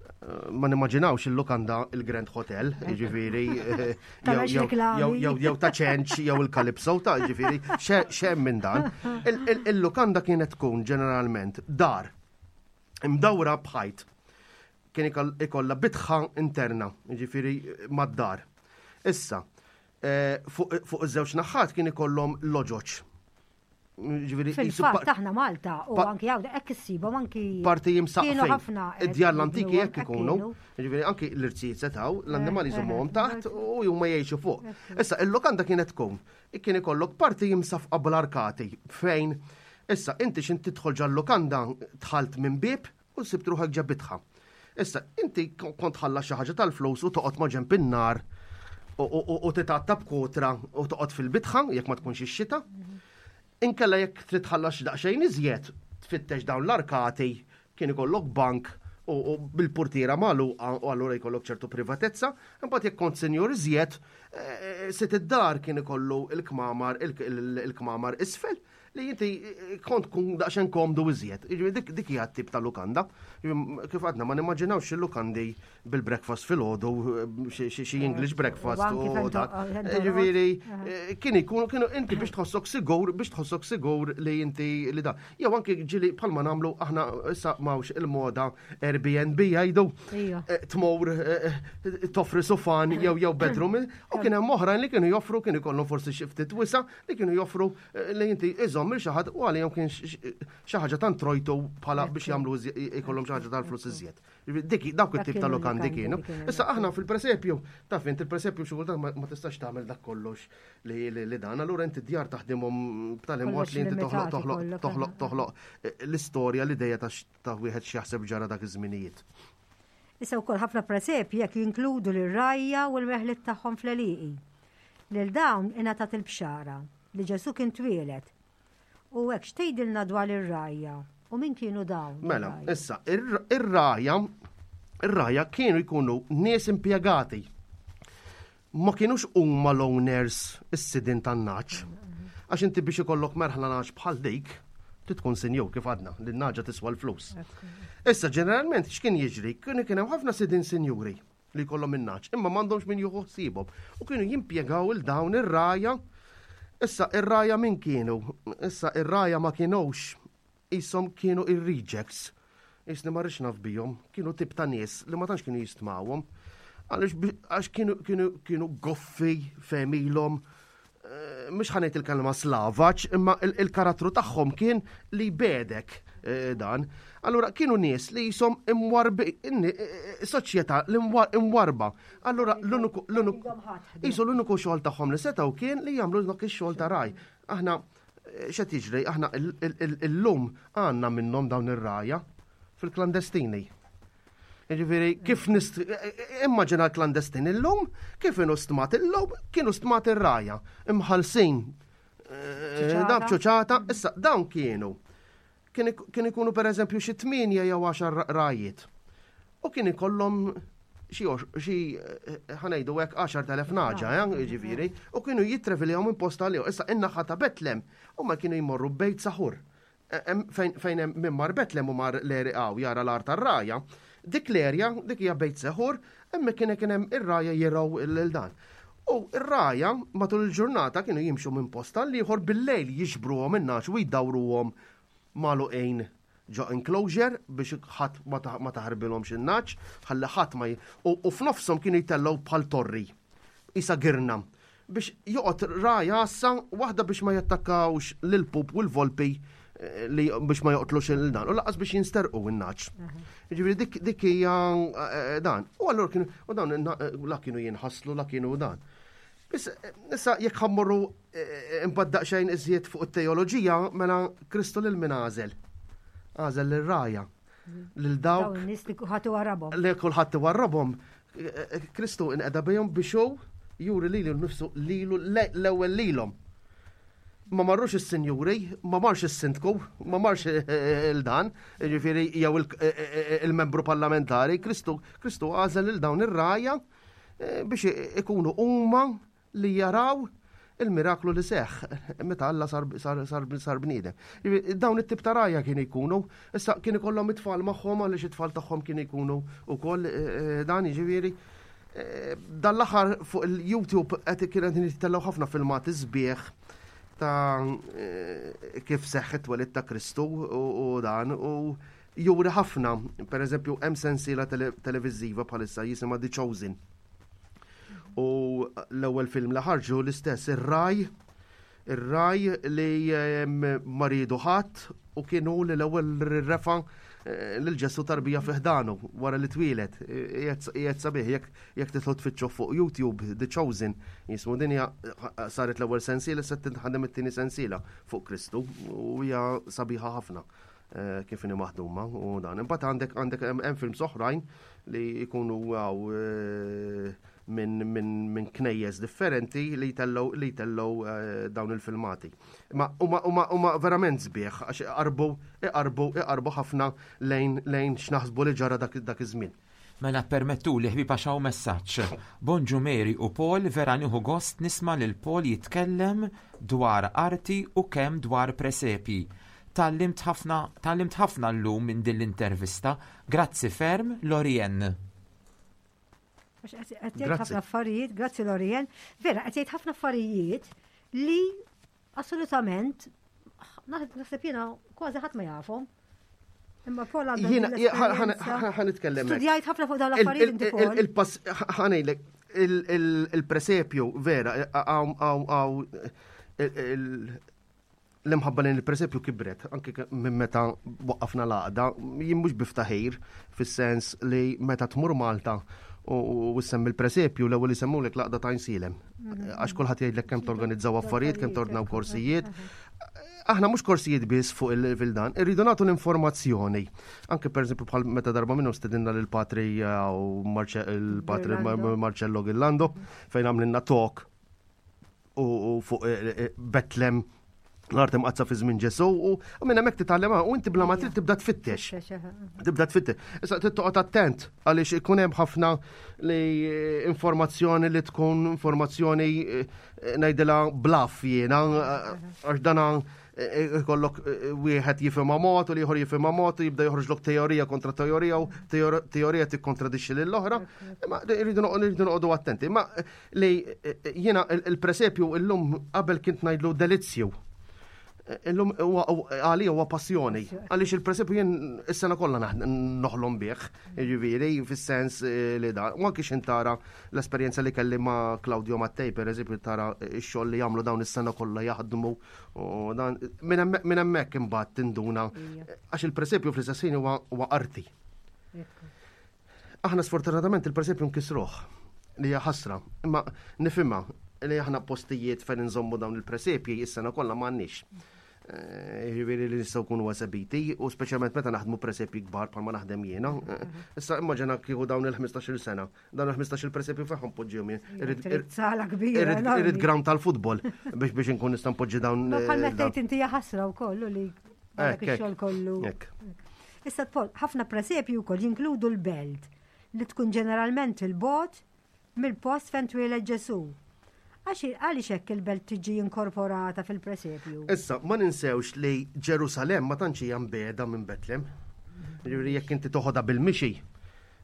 eh, ma nimmaġinawx il-lukanda il-Grand Hotel, jiġifieri eh, jew ta' ċenċ jew il-Calypso ta' ġifieri xem minn dan. Il-lukanda kienet tkun ġeneralment dar imdawra bħajt kien ikollha bitħa interna, ġifieri mad-dar. Issa, eh, fuq iż-żewġ naħat kien ikollhom loġoċ Fil-fatt aħna Malta u anki hawn hekk issibhom anki parti jimsaqfin. ħafna. Id-djar l-antiki hekk ikunu. Ġifieri anki l-irsijiet setgħu, l-annimali eh, jżommuhom eh, taħt u huma jgħixu fuq. Issa il-lokanda kienet tkun kien ikollok parti jimsafqa bl-arkati fejn issa inti x'in tidħol ġal-lokanda dħalt minn bieb u sibt ruħek ġa bitħa. Issa, inti kont ħalla xi ħaġa tal-flus u toqgħod ma' ġenb in-nar u titgħatta b'kotra u toqgħod fil-bitħa jekk ma tkunx ix-xita. Inkella jekk trid tħallas daqsxejn iżjed, tfittex dawn l-arkati, kien ikollok bank u bil-portiera magħluqa u allura jkollok ċertu privatezza, imbagħad jekk kont senjur iżjed, eh, sit id-dar kien ikollu il-kmamar il-kmamar isfel. li inti eh, kont tkun daqsxejn komdu iżjed. Jiġifieri dik dik hija tip ta' lukanda. Jiġifieri, kif għadna ma nimmaġinawx il-lukandi bil-breakfast fil-ħodu, eh, xi English breakfast u dak. Jiġifieri eh, kien ikunu kienu inti biex tħossok sigur, biex tħossok sigur li inti li da. Jew anki ġili bħalma nagħmlu aħna issa m'hawnx il-moda Airbnb jgħidu tmur toffri sufan jew jew bedroom u kien hemm oħrajn li kienu joffru kien ikollhom forsi xi ftit wisa li kienu joffru eh, li inti iżomm il xi ħadd u għalihom kien xi ħaġa tant trojtu bħala biex jagħmlu ikollhom xi ħaġa tal-flus iżjed. Dik dawk it-tip ta' lokandi kienu. Issa aħna fil-presepju, taf int il-presepju xi kultant ma tistax tagħmel dak kollox li dan, allura inti djar taħdimhom b'tali mod li inti toħloq toħloq toħloq toħloq eh, l-istorja l-idea ta' wieħed x'jaħseb ġara dak iż-żminijiet. Issa wkoll ħafna presepji jekk jinkludu lir-rgħajja u l-meħliet tagħhom fl-għelieqi. Lil dawn ingħatat il-bxara li Ġesù kien twieled. U hekk x'tgħidilna dwar ir-rgħajja u min kienu dawn? Mela, issa, ir-rgħajja ir-rgħajja kienu jkunu nies impjegati. Ma kinux huma l-owners is-sidien tan-nagħaġ. Għax inti biex ikollok merħla nagħaġ bħal dik, trid tkun sinjur kif għadna, li n-nagħġa tiswa l-flus. Issa ġeneralment x'kien jiġri? Kienu kien hemm ħafna sidien sinjuri li jkollhom in-nagħaġ, imma m'għandhomx min jieħu ħsiebhom u kienu jimpjegaw il dawn ir-rgħajja. Issa ir-rgħajja min kienu? Issa ir-rgħajja ma kinux Qishom kienu ir-rejects. Qisni ma rridx naf bihom. Kienu tip ta' nies li ma tantx kienu jistmawhom. Għaliex għax kienu kienu kienu goffi f'għemilhom. Eh, mhux ħa ngħid il-kelma slavaġ, imma il-karattru tagħhom kien li jbegħdek eh, dan. Allura kienu nies li jisom imwarbi, eh, soċjetà li imwarba. Allura l-uniku l-uniku jisu l-uniku xogħol tagħhom li setgħu kien li jagħmlu dak ix-xogħol ta' raj. Aħna X'qed jiġri? Aħna illum għandna minnhom dawn ir-rgħajja fil-klandestini. Jiġifieri kif nist immaġina l-klandestin illum, kif inhu stmat illum, kienu stmat ir-rgħajja, imħallsin eh, dab ċuċata, issa dawn kienu Kien ikunu pereżempju xi tmienja jew għaxar rgħajiet. U kien ikollhom xi xi eh, ħanejdu hekk 10,000 naġa, eh, jiġifieri, u kienu jitreviljaw minn post għal Issa in-naħa ta' Betlem huma kienu jmorru bejt saħur. Eh, fejn hemm min mar Betlem u mar l-eriqaw jara l-art tar-raja, dik l-erja, dik hija bejt seħur, hemmhekk kien kien hemm ir-raja jirgħu lil dan. U r-raja matul il-ġurnata kienu jimxu minn post għal ieħor bil-lejl jiġbruhom in-nagħaġ u jdawruhom magħluqin ġo enclosure biex ħadd ma taħarbilhomx in-nagħaġ, ħalli ħadd ma u f'nofshom kienu jtellgħu bħal torri, qisha girna, biex joqgħod ragħaj għassa waħda biex ma jattakkawx lill-pup u l-volpi eh, li biex ma joqtlux il dan u laqas biex jinsterqu in-naċ. Ġifieri dik dik hija eh, dan. U allura kienu u dawn eh, la kienu jinħaslu la kienu dan. Issa jekk ħammorru imbagħad daqsxejn iżjed fuq it-teoloġija mela Kristu lil min għażel. Għażel lir-raja. Lil dawk. Nies li kulħadd iwarrabhom. Li kulħadd iwarrabhom. Kristu inqeda bihom biex hu juri lilu nnifsu lilu l-ewwel lilhom. Ma marrux is-sinjuri, ma marx is-sindku, ma marx il-dan, jiġifieri jew il-membru parlamentari, Kristu Kristu għażel lil dawn ir-rgħajja eh, biex ikunu huma li jaraw il-miraklu li seħħ meta Alla sar, sar, sar, sar bniedem. Dawn it-tip ta' rgħajja kienu jkunu, issa kien ikollhom it-tfal magħhom għaliex it-tfal tagħhom kienu jkunu wkoll eh, eh, dan jiġifieri. Eh, dan l-aħħar fuq il-YouTube qed kien qed jittellgħu ħafna filmati sbieħ ta' kif seħħ it-twelid ta' Kristu u dan u juri ħafna, per eżempju, hemm sensiela televiżiva bħalissa jisimha The Chosen. U l-ewwel film li ħarġu l-istess ir-raj, ir-raj li ma riedu ħadd u kienu li l-ewwel refa eh, lil Ġesu tarbija fi ħdanu wara li twieled. Qiegħed sabiħ jekk jekk titlu tfittxu fuq YouTube The Chosen jismu din hija eh, saret l-ewwel sensiela se tinħadem it-tieni sensiela fuq Kristu u hija sabiħa ħafna. Eh, kif inhi maħduma u dan. Imbagħad għandek għandek hemm films oħrajn li jkunu għaw eh, minn min, min knejjes differenti li jtellgħu li jtellgħu eh, dawn il-filmati. Ma huma huma huma verament sbieħ għax iqarbu iqarbu iqarbu ħafna lejn lejn x'naħsbu li ġara dak dak iż-żmien. Mela permettuli ħbieb għax hawn messaġġ. Bonġu Mary u Paul, vera nieħu gost nisma' lil Paul jitkellem dwar arti u kemm dwar presepji. Tgħallimt ħafna tgħallimt ħafna llum minn din l-intervista. Grazzi ferm, Lorien. Għax qed jgħid ħafna affarijiet, grazzi Lorien. Vera qed jgħid ħafna affarijiet li assolutament naħseb jiena kważi ħadd ma jafhom. Imma Paul għandu. Jiena ħa nitkellem. Studjajt ħafna fuq dawn l-affarijiet inti Paul. Il-pass ħanejlek il-presepju vera għaw l-imħabba lejn il-presepju kibret anke minn meta waqqafna l-għaqda, jien mhux biftaħir fis-sens li meta tmur Malta u semmi l-presepju l-ewwel isemmulek l-għaqda ta' Għajnsielem. Għax kulħadd jgħidlek kemm torganizzaw affarijiet, kemm tordnaw korsijiet. Aħna mhux korsijiet biss fuq il-dan, irridu nagħtu l-informazzjoni. Anke pereżempju bħal meta darba minnhom stedinna lil patri eh, u il-patri Marcello Gillando fejn għamlilna talk u fuq eh, eh, Betlem l-art imqazza fi żmien Ġesu u minn hemmhekk titgħallem u inti bla ma trid tibda tfittex. Tibda tfittex. Issa trid toqgħod attent għaliex ikun hemm ħafna li eh, informazzjoni li tkun informazzjoni ngħidilha blaf jiena għax dana ikollok wieħed jifhimha mod u l-ieħor jifhimha mod u jibda joħroġlok teorija kontra teorija u teorija tikkontradixxi lill-oħra. Imma rridu noqogħdu attenti. Imma li jiena il-presepju illum qabel kint ngħidlu delizzju. Illum għalija huwa passjoni. Għaliex il-presepju jien is-sena kollha noħlom bih, jiġifieri fis-sens eh, li da. U anki x'in tara l-esperjenza li kelli ma' Claudio Mattei, per eżempju, tara x-xogħol li jagħmlu dawn is-sena kollha jaħdmu u dan minn hemmhekk imbagħad tinduna għax il-presepju fl-istess ħin huwa arti. Aħna sfortunatament il-presepju nkisruh li hija ħasra, imma nifhimha li aħna postijiet fejn inżommu dawn il-presepji is-sena kollha m'għandniex. Eh, jiġifieri li nistgħu nkunu esebiti u speċjalment meta naħdmu presepji kbar bħalma naħdem jiena. Eh, issa immaġina kieku dawn il-15-il sena, dawn il-15 il presepju fejn poġġihom jien. Irrid sala kbira. Irrid ground tal-futbol biex biex inkun nista' npoġġi dawn. Ma bħal meta tgħid inti ħasra wkoll li dak ix-xogħol kollu. Issa Paul, ħafna presepji wkoll jinkludu l-belt li tkun ġeneralment il-bogħod mill-post fejn twieled Ġesù. Għax għaliex hekk il-belt tiġi inkorporata fil-presepju? Issa, ma ninsewx li Ġerusalemm ma tantx hija mbiegħda minn Betlem. Jiġifieri jekk inti toħodha bil-mixi,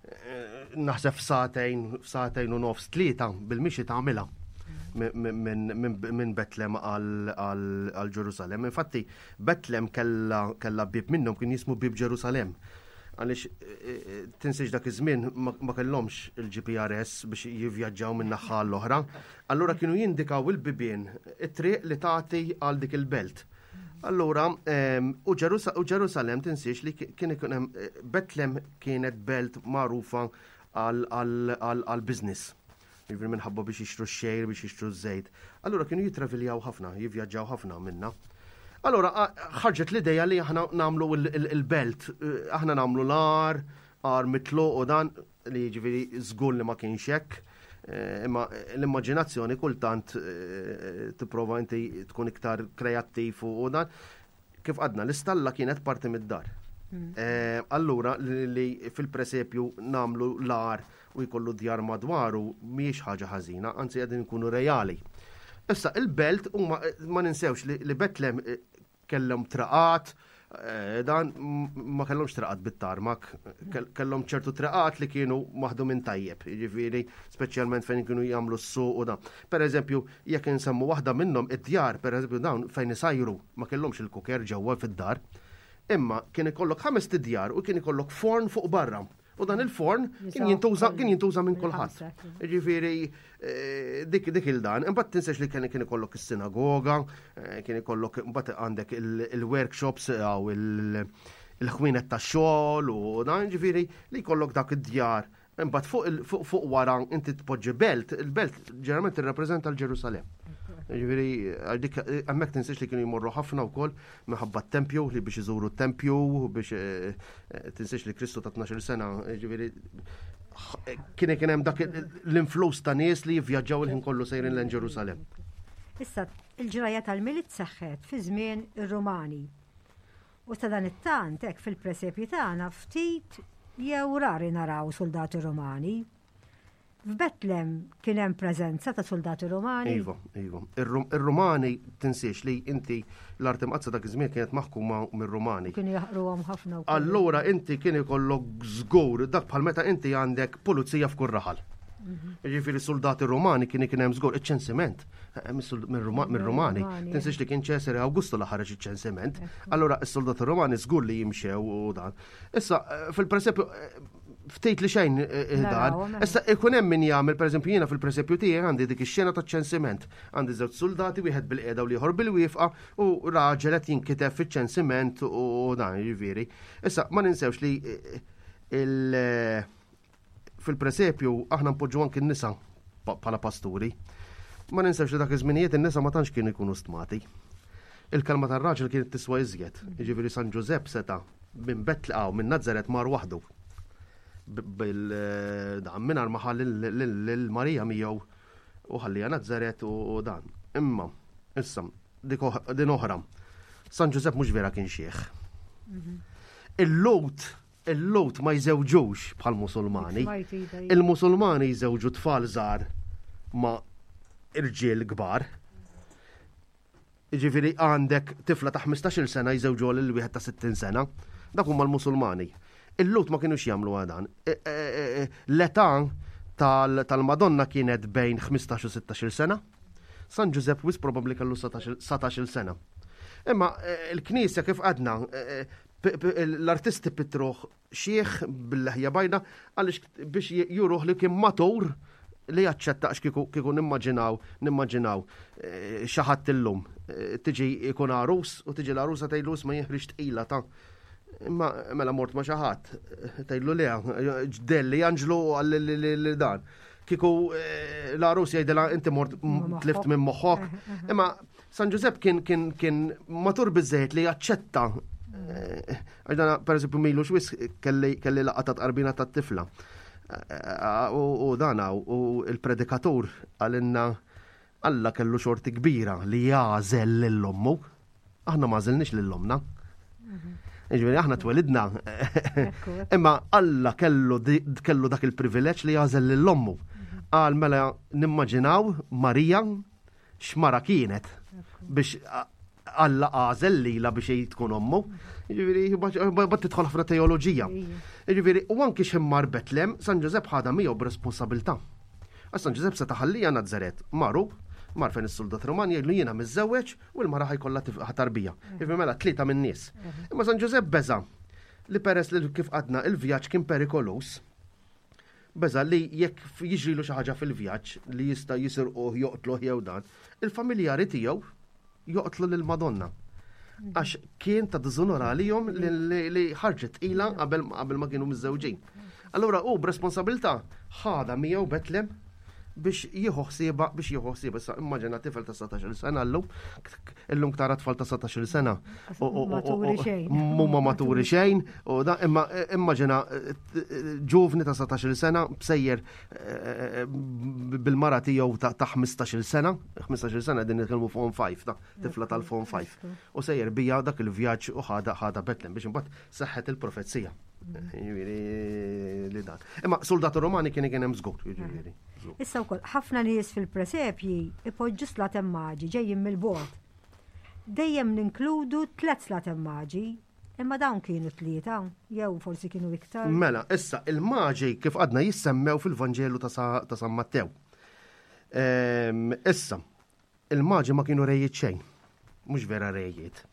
eh, naħseb f'sagħtejn, f'sagħtejn u nofs tlieta bil-mixi tagħmilha minn Betlem għal Ġerusalemm. Infatti, Betlem kellha kellha bieb minnhom kien jismu Bieb Ġerusalemm. Għaliex eh, eh, tinsiex dak iż-żmien ma kellhomx il-GPRS biex jivvjaġġaw minn naħa l-oħra. Allura kienu jindikaw il-bibien it-triq li tagħti għal dik il-belt. Allura, ehm, u Ġerusalemm tinsiex li kien ikun hemm eh, Betlem kienet belt magħrufa għal-business. Jiġifieri minħabba biex jixtru x-xgħir, biex jixtru ż-żejt. Allura kienu jittraviljaw ħafna, jivvjaġġaw ħafna minna. Allura ħarġet l-idea li aħna nagħmlu il-belt, eh, aħna nagħmlu l-ar, ar mitluq u dan li jiġifieri żgur li ma kienx hekk. Eh, imma l-immaġinazzjoni kultant eh, tipprova inti tkun iktar kreattiv u dan. Kif għadna, l-istalla kienet parti mid-dar. Mm. Eh, allura li fil-presepju namlu l-ar u jkollu djar madwaru mhijiex ħaġa ħażina, anzi qegħdin nkunu reali. Issa il-belt huma ma ninsewx li Betlem eh, kellhom traqat, eh, dan ma kellhomx traqat bit-tarmak, kellhom ċertu traqat li kienu maħdumin tajjeb, jiġifieri speċjalment fejn kienu jagħmlu s-suq u dan. Per eżempju, jekk insemmu waħda minnhom id-djar, per eżempju dawn fejn isajru ma kellhomx il-kuker ġewwa fid-dar, imma kien ikollok ħames tidjar u kien ikollok forn fuq barra. U dan il-forn kien jintuża kien jintuża minn kulħadd. Ġifieri eh, dik dik il-dan, imbagħad tinsiex li kien kien ikollok is-sinagoga, eh, kien ikollok imbagħad għandek il-workshops għaw il-ħwienet tax-xogħol u dan ġifieri li jkollok dak id-djar Imbagħad fuq fuq wara inti tpoġġi belt, il-belt ġeneralment tirrappreżenta l-Ġerusalemm. Ġifieri dik hemmhekk tinsiex li kienu jmorru ħafna wkoll minħabba t-tempju li biex iżuru t-tempju biex eh, eh, tinsiex li Kristu ta' 12 sena, ġifieri kien kien hemm dak l-influss ta' nies li jivvjaġġaw il-ħin kollu sejrin lejn Ġerusalemm. Issa, il-ġrajja tal-Milied seħħet fi żmien ir-Rumani. U sadanittant hekk fil-presepji tagħna ftit jew rari naraw soldati Romani. F'Betlem kien hemm preżenza ta' soldati Romani. Iva, iva. Ir-Rumani tinsiex li inti l-Art Imqaddsa dak iż-żmien kienet maħkuma mir-Rumani. Kienu jaħqruhom ħafna wkoll. Allura inti kien ikollok żgur dak bħal meta inti għandek pulizija f'kull raħal. Mhm. Ġifieri soldati Rumani kien kien hemm żgur iċ-ċensiment eh, mir-Rumani. Tinsiex li kien Ċesare Awgustu li ħareġ iċ-ċensiment. Allura s-soldati Rumani żgur li jimxew u dan. Issa eh, fil-presepju eh, ftit li xejn eh, eh, dan. Issa ikun hemm min jagħmel pereżempju jiena fil-presepju tiegħi għandi dik ix-xena taċ-ċensiment. Għandi żewġ soldati wieħed bil-qiegħda u l-ieħor bil-wiefqa u raġel qed jinkiteb fiċ-ċensiment u dan jiġifieri. Issa ma ninsewx li eh, il fil-presepju aħna npoġġu anki n-nisa bħala pasturi. Ma ninsewx li dak iż-żminijiet in-nisa ma tantx kienu jkunu stmati. Il-kelma tar-raġel kienet tiswa iżjed. Jiġifieri San Ġużepp seta' minn Betlqaw minn Nazaret mar waħdu. Bil-dan mingħajr ma ħalli lil Marija miegħu u ħallija Nazaret u dan. Imma, issa, din oħra. San Ġużepp mhux vera kien xieħ. Mhm. Il-Lut il-Lut ma jżewġux bħal Musulmani. Il-Musulmani jżewġu tfal żgħar ma' irġiel kbar. Jiġifieri għandek tifla ta' 15-il sena jżewġuha lil wieħed ta' 60 sena. Dak huma l-Musulmani. Il-Lhud ma kinux jagħmlu dan. E, e, e, l-età tal-Madonna kienet bejn 15 u 16 sena. San Ġużepp wis probabbli kellu 17 sena. Imma l-Knisja kif għadna l-artisti pitruh xiħ bil-leħja bajda għaliex biex juruh li kien matur li jaċċetta għax kieku kieku nimmaġinaw nimmaġinaw eh, xi ħadd illum eh, tiġi jkun għarus u tiġi l-għarusa tgħidlu ma jinħriġ tqila ta' imma mela mort ma xi ħadd eh, tgħidlu le ġdelli Anġlu għal dan. Kieku l-għarus jgħidilha inti mort tlift minn moħħok. Imma San Ġużepp kien kien kien matur biżejjed li jaċċetta eh, għax dana per eżempju milu xwis kelli kelli laqgħa ta' tqarbina tat-tifla. Eh, u dana u il-predikatur għalinna Alla kellu xorti kbira li jagħżel lil ommu. Aħna ma għażilniex lil ommna. Mhm. Ġifieri aħna twelidna. Imma Alla kellu kellu dak il-privileġġ li jagħżel lil ommu. Mhm. Qal mela nimmaġinaw Marija x'mara kienet biex Alla għażel lila biex hi tkun ommu. Jiġifieri bad tidħol ħafna teoloġija. Jiġifieri u anki x'immar Betlem, San Ġużepp ħadha miegħu b'responsabilità. Għax San Ġużepp seta' ħallija Nazaret, maru, mar fejn is-soldat Roman jgħidlu jiena miżżewweġ u l-mara ħajkollha tarbija. Jiġifieri mela tlieta min-nies. Imma San Ġużepp beża' li peress li kif għadna il-vjaġġ kien perikolus, Beża' li jekk jiġrilu xi ħaġa fil-vjaġġ li jista' jisirquh, joqtluh jew dan, il-familjari tiegħu joqtlu lil Madonna. Għax kien ta' diżunur għalihom li ħarġet tqila qabel ma kienu miżżewġin. Allura hu b'responsabilità ħadha miegħu Betlem biex jieħu ħsieba biex jieħu ħsieba. Issa immaġina tifel ta' 17-il sena llum, illum tara tfal ta' 17-il sena. Maturi xejn. Mhuma maturi xejn, u da imma immaġina ġuvni ta' 17-il sena bsejjer eh, bil-mara tiegħu ta' 15-il sena, 15-il sena din nitkellmu form 5 ta' tifla tal-form 5. U sejjer bija dak il-vjaġġ u ħada ħada Betlem biex imbagħad seħħet il-profezija. Jiġifieri li dan. Imma soldati Romani kien kien hemm żgur, jiġifieri. Issa wkoll ħafna nies fil-presepji ipoġġu slatem maġi ġejjin mill-bogħod. Dejjem ninkludu tlet slatem maġi, imma dawn kienu tlieta, jew forsi kienu iktar. Mela, issa il-maġi kif għadna jissemmew fil-Vanġelu ta' San Mattew. Ehm, issa, Il-maġi ma kienu rejiet xejn. Mhux vera rejiet.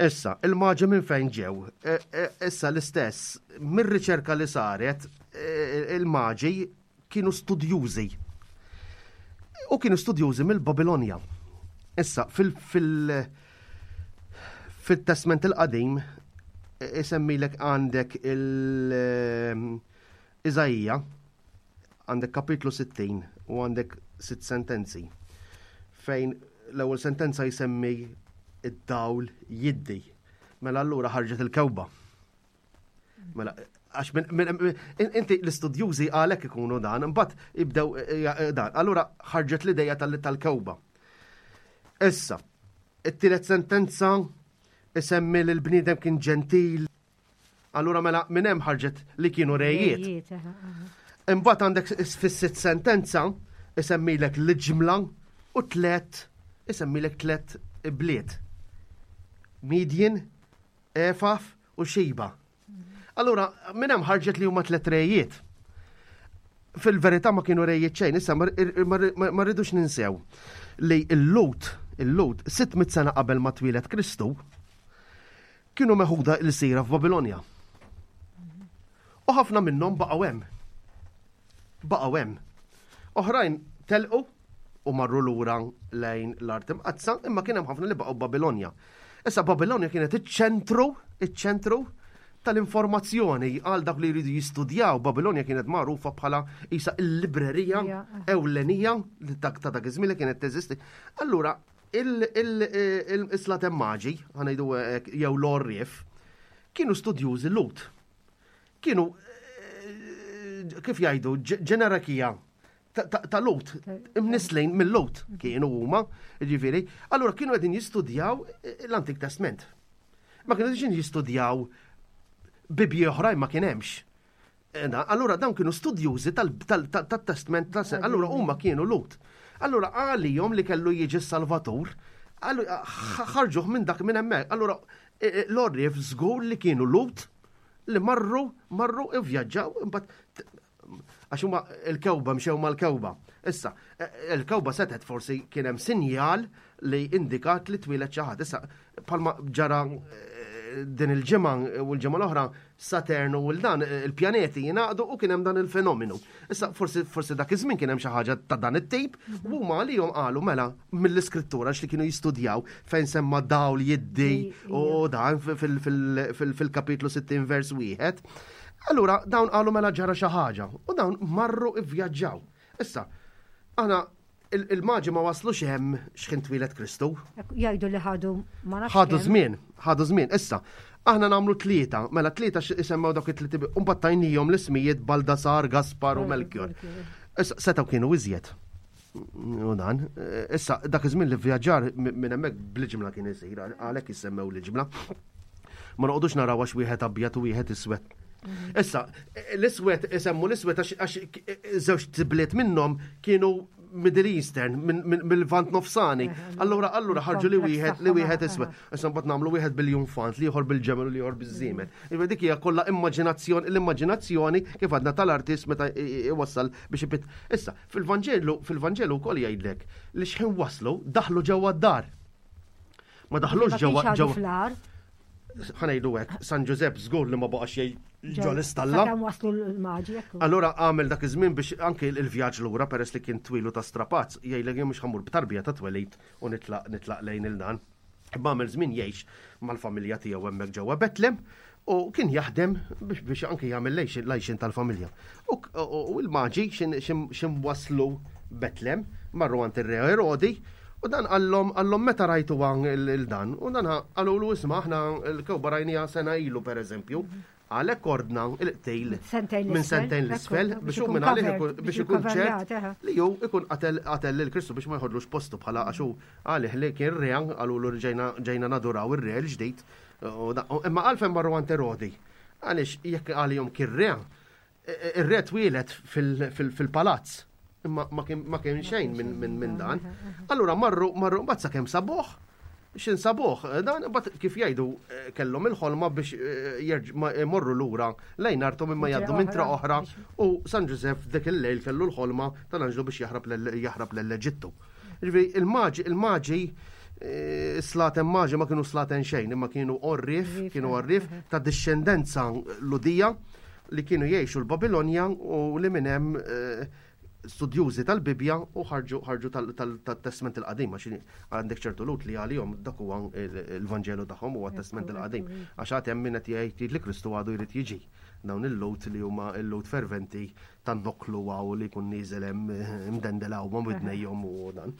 Issa, il-maġi minn fejn ġew? E, e, issa l-istess, mir-riċerka li saret, e, il-maġi kienu studjużi. U kienu studjużi mill-Babilonja. Issa, fil- fil- fil-Testment il-Qadim, isemmilek għandek il- Iżaija, għandek kapitlu 60 u għandek sitt sentenzi fejn l-ewwel sentenza jsemmi id-dawl jiddi. Mela allura ħarġet il-kewba. Mela, għax inti l-istudjużi għalek ikunu dan, imbagħad jibdew eh, eh, dan. Allura ħarġet l-ideja tal-kewba. Issa, it-tielet sentenza isemmi li l-bniedem kien ġentil. Allura mela minn hemm ħarġet li kienu rejiet. Imbagħad għandek fis-sitt sentenza isemmilek l-ġimla u tlet isemmilek tlet bliet. Midjen, Efaf u Xiba. Allura minn hemm ħarġet li huma tlet rejiet. Fil-verità ma kienu rejiet xejn, issa ma rridux ninsew li l-Lut, il-Lut 600 sena qabel ma twieled Kristu, kienu meħuda l-sira f'Babilonja. U ħafna minnhom baqgħu hemm. Baqgħu hemm. Oħrajn telqu u marru lura lejn l-art imqaddsa, imma kien hemm ħafna li baqgħu Babilonja. Issa Babilonja kienet iċ-ċentru, iċ-ċentru tal-informazzjoni għal dak li jridu jistudjaw. Babilonja kienet magħrufa bħala isa il-librerija ewlenija li ta' dak iż-żmien li kienet teżisti. Allura il-slatem maġi, ħanajdu jew l-orrif, kienu studjużi lut. Kienu, eh, kif jgħidu, ġenerakija ta' lut, imnislin mill-lut kienu huma, ġifieri, allura kienu qegħdin jistudjaw l-Antik Testament. Ma kienu qegħdin jistudjaw bibji oħrajn ma kien hemmx. Allura dawn kienu studjużi tal-testament ta' allura huma kienu lut. Allura għalihom li kellu jiġi s-Salvatur, ħarġuh minn dak minn hemmhekk. Allura e, e, l-orrif żgur li kienu lut li marru marru ivvjaġġaw imbagħad għax huma il-kewba mxew mal-kewba. Issa, e, il-kewba setet forsi kien hemm sinjal li indikat li twieled xi ħadd. Issa, bħalma ġara din il-ġimgħa u l-ġimgħa l-oħra Saturn u l-dan il-pjaneti jingħaqdu u kien hemm dan il-fenomenu. Issa forsi forsi dak iż-żmien kien hemm xi ħaġa ta' dan it-tip u huma għalihom qalu mela mill-iskrittura li kienu jistudjaw fejn semma dawl jiddi u dan fil-kapitlu 60 vers wieħed. Allura dawn qalu mela ġara xi ħaġa u dawn marru ivvjaġġaw. Issa, aħna il-maġi ma waslux hemm x'ħin twieled Kristu. Jgħidu li ħadu ma nafx. Ħadu żmien, ħadu żmien. Issa, aħna nagħmlu tlieta, mela tlieta isemmew dawk it-tliet u mbagħad tajnihom l-ismijiet Baldasar, Gaspar u Melchior. Issa setgħu kienu iżjed. U dan, issa dak iż-żmien li vjaġġar minn hemmhekk bl-ġimla kien isir, għalhekk jissemmew l-ġimla. Ma noqogħdux naraw għax wieħed abjad u wieħed iswed. Mhm. Issa, l-iswed isemmu l-iswed għax żewġ tibliet minnhom kienu Middle Eastern, mill-Vant Nofsani. Allura, allura ħarġu li wieħed li wieħed iswed. Issa mbagħad nagħmlu wieħed bil-jumfant, li ieħor bil-ġemel u li ieħor biż-żiemel. Iva dik hija kollha immaġinazzjoni, l-immaġinazzjoni kif għadna tal-artist meta iwassal biex ipit. Issa, fil-Vanġelu, fil-Vanġelu wkoll jgħidlek li xħin waslu daħlu ġewwa d-dar. Ma daħlux ġewwa ġewwa. Ħanejdu hekk, San Ġużepp żgur li ma baqax jgħid ġo l-istalla. Sakemm waslu l-maġi. Allura għamel dak iż-żmien biex anke il-vjaġġ lura peress li kien twilu ta' strapazz, jgħidlek jien mhux ħammur b'tarbija ta' twelid u nitlaq nitlaq lejn il-dan. Imma għamel żmien jgħix mal-familja tiegħu hemmhekk ġewwa Betlem u kien jaħdem biex biex anke jagħmel l-għajxien tal-familja. U l-maġi x'in waslu Betlem, marru għand ir-re Erodi, u dan qallhom qallhom meta rajtu il-dan, u dan qalulu isma' aħna l-kewba rajniha sena ilu pereżempju, għalhekk ordna il-qtil minn sentejn l-isfel biex hu minn għalih biex ikun ċert li hu ikun qatel qatel lil Kristu biex ma jħodlux postu bħala għax hu għalih li kien re qalulu li ġejna naduraw ir-re l-ġdid. Imma għalfejn marru għand Erodi? Għaliex jekk għalihom kien re, ir-re twieled fil-palazz. Imma ma kien xejn minn dan. Allura marru marru mbagħad sakemm sabuh, x'in sabuh, dan mbagħad kif jgħidu eh, kellhom il-ħolma biex eh, jmorru lura lejn arthom imma jgħaddu minn tra oħra u San Ġużeff dik il-lejl kellu l-ħolma tal-anġlu biex jaħrab l-Eġittu. Ġifieri il-maġi il-maġi eh, slaten maġi ma kienu slaten xejn, imma kienu orrif, kienu orrif ta' discendenza ludija li kienu jgħixu l-Babilonja u li minn hemm eh, studjużi tal-Bibja u ħarġu ħarġu tal-Testament il-Qadim għax għandek ċertu lut li għalihom dak huwa il-Vanġelu tagħhom huwa t-Testament il-Qadim. Għax għad hemm min qed jgħid li Kristu għadu jrid jiġi. Dawn il-lut li huma il-lut ferventi tan-noklu għaw li jkun nieżel hemm eh, imdendel hawn ma' widnejhom u dan.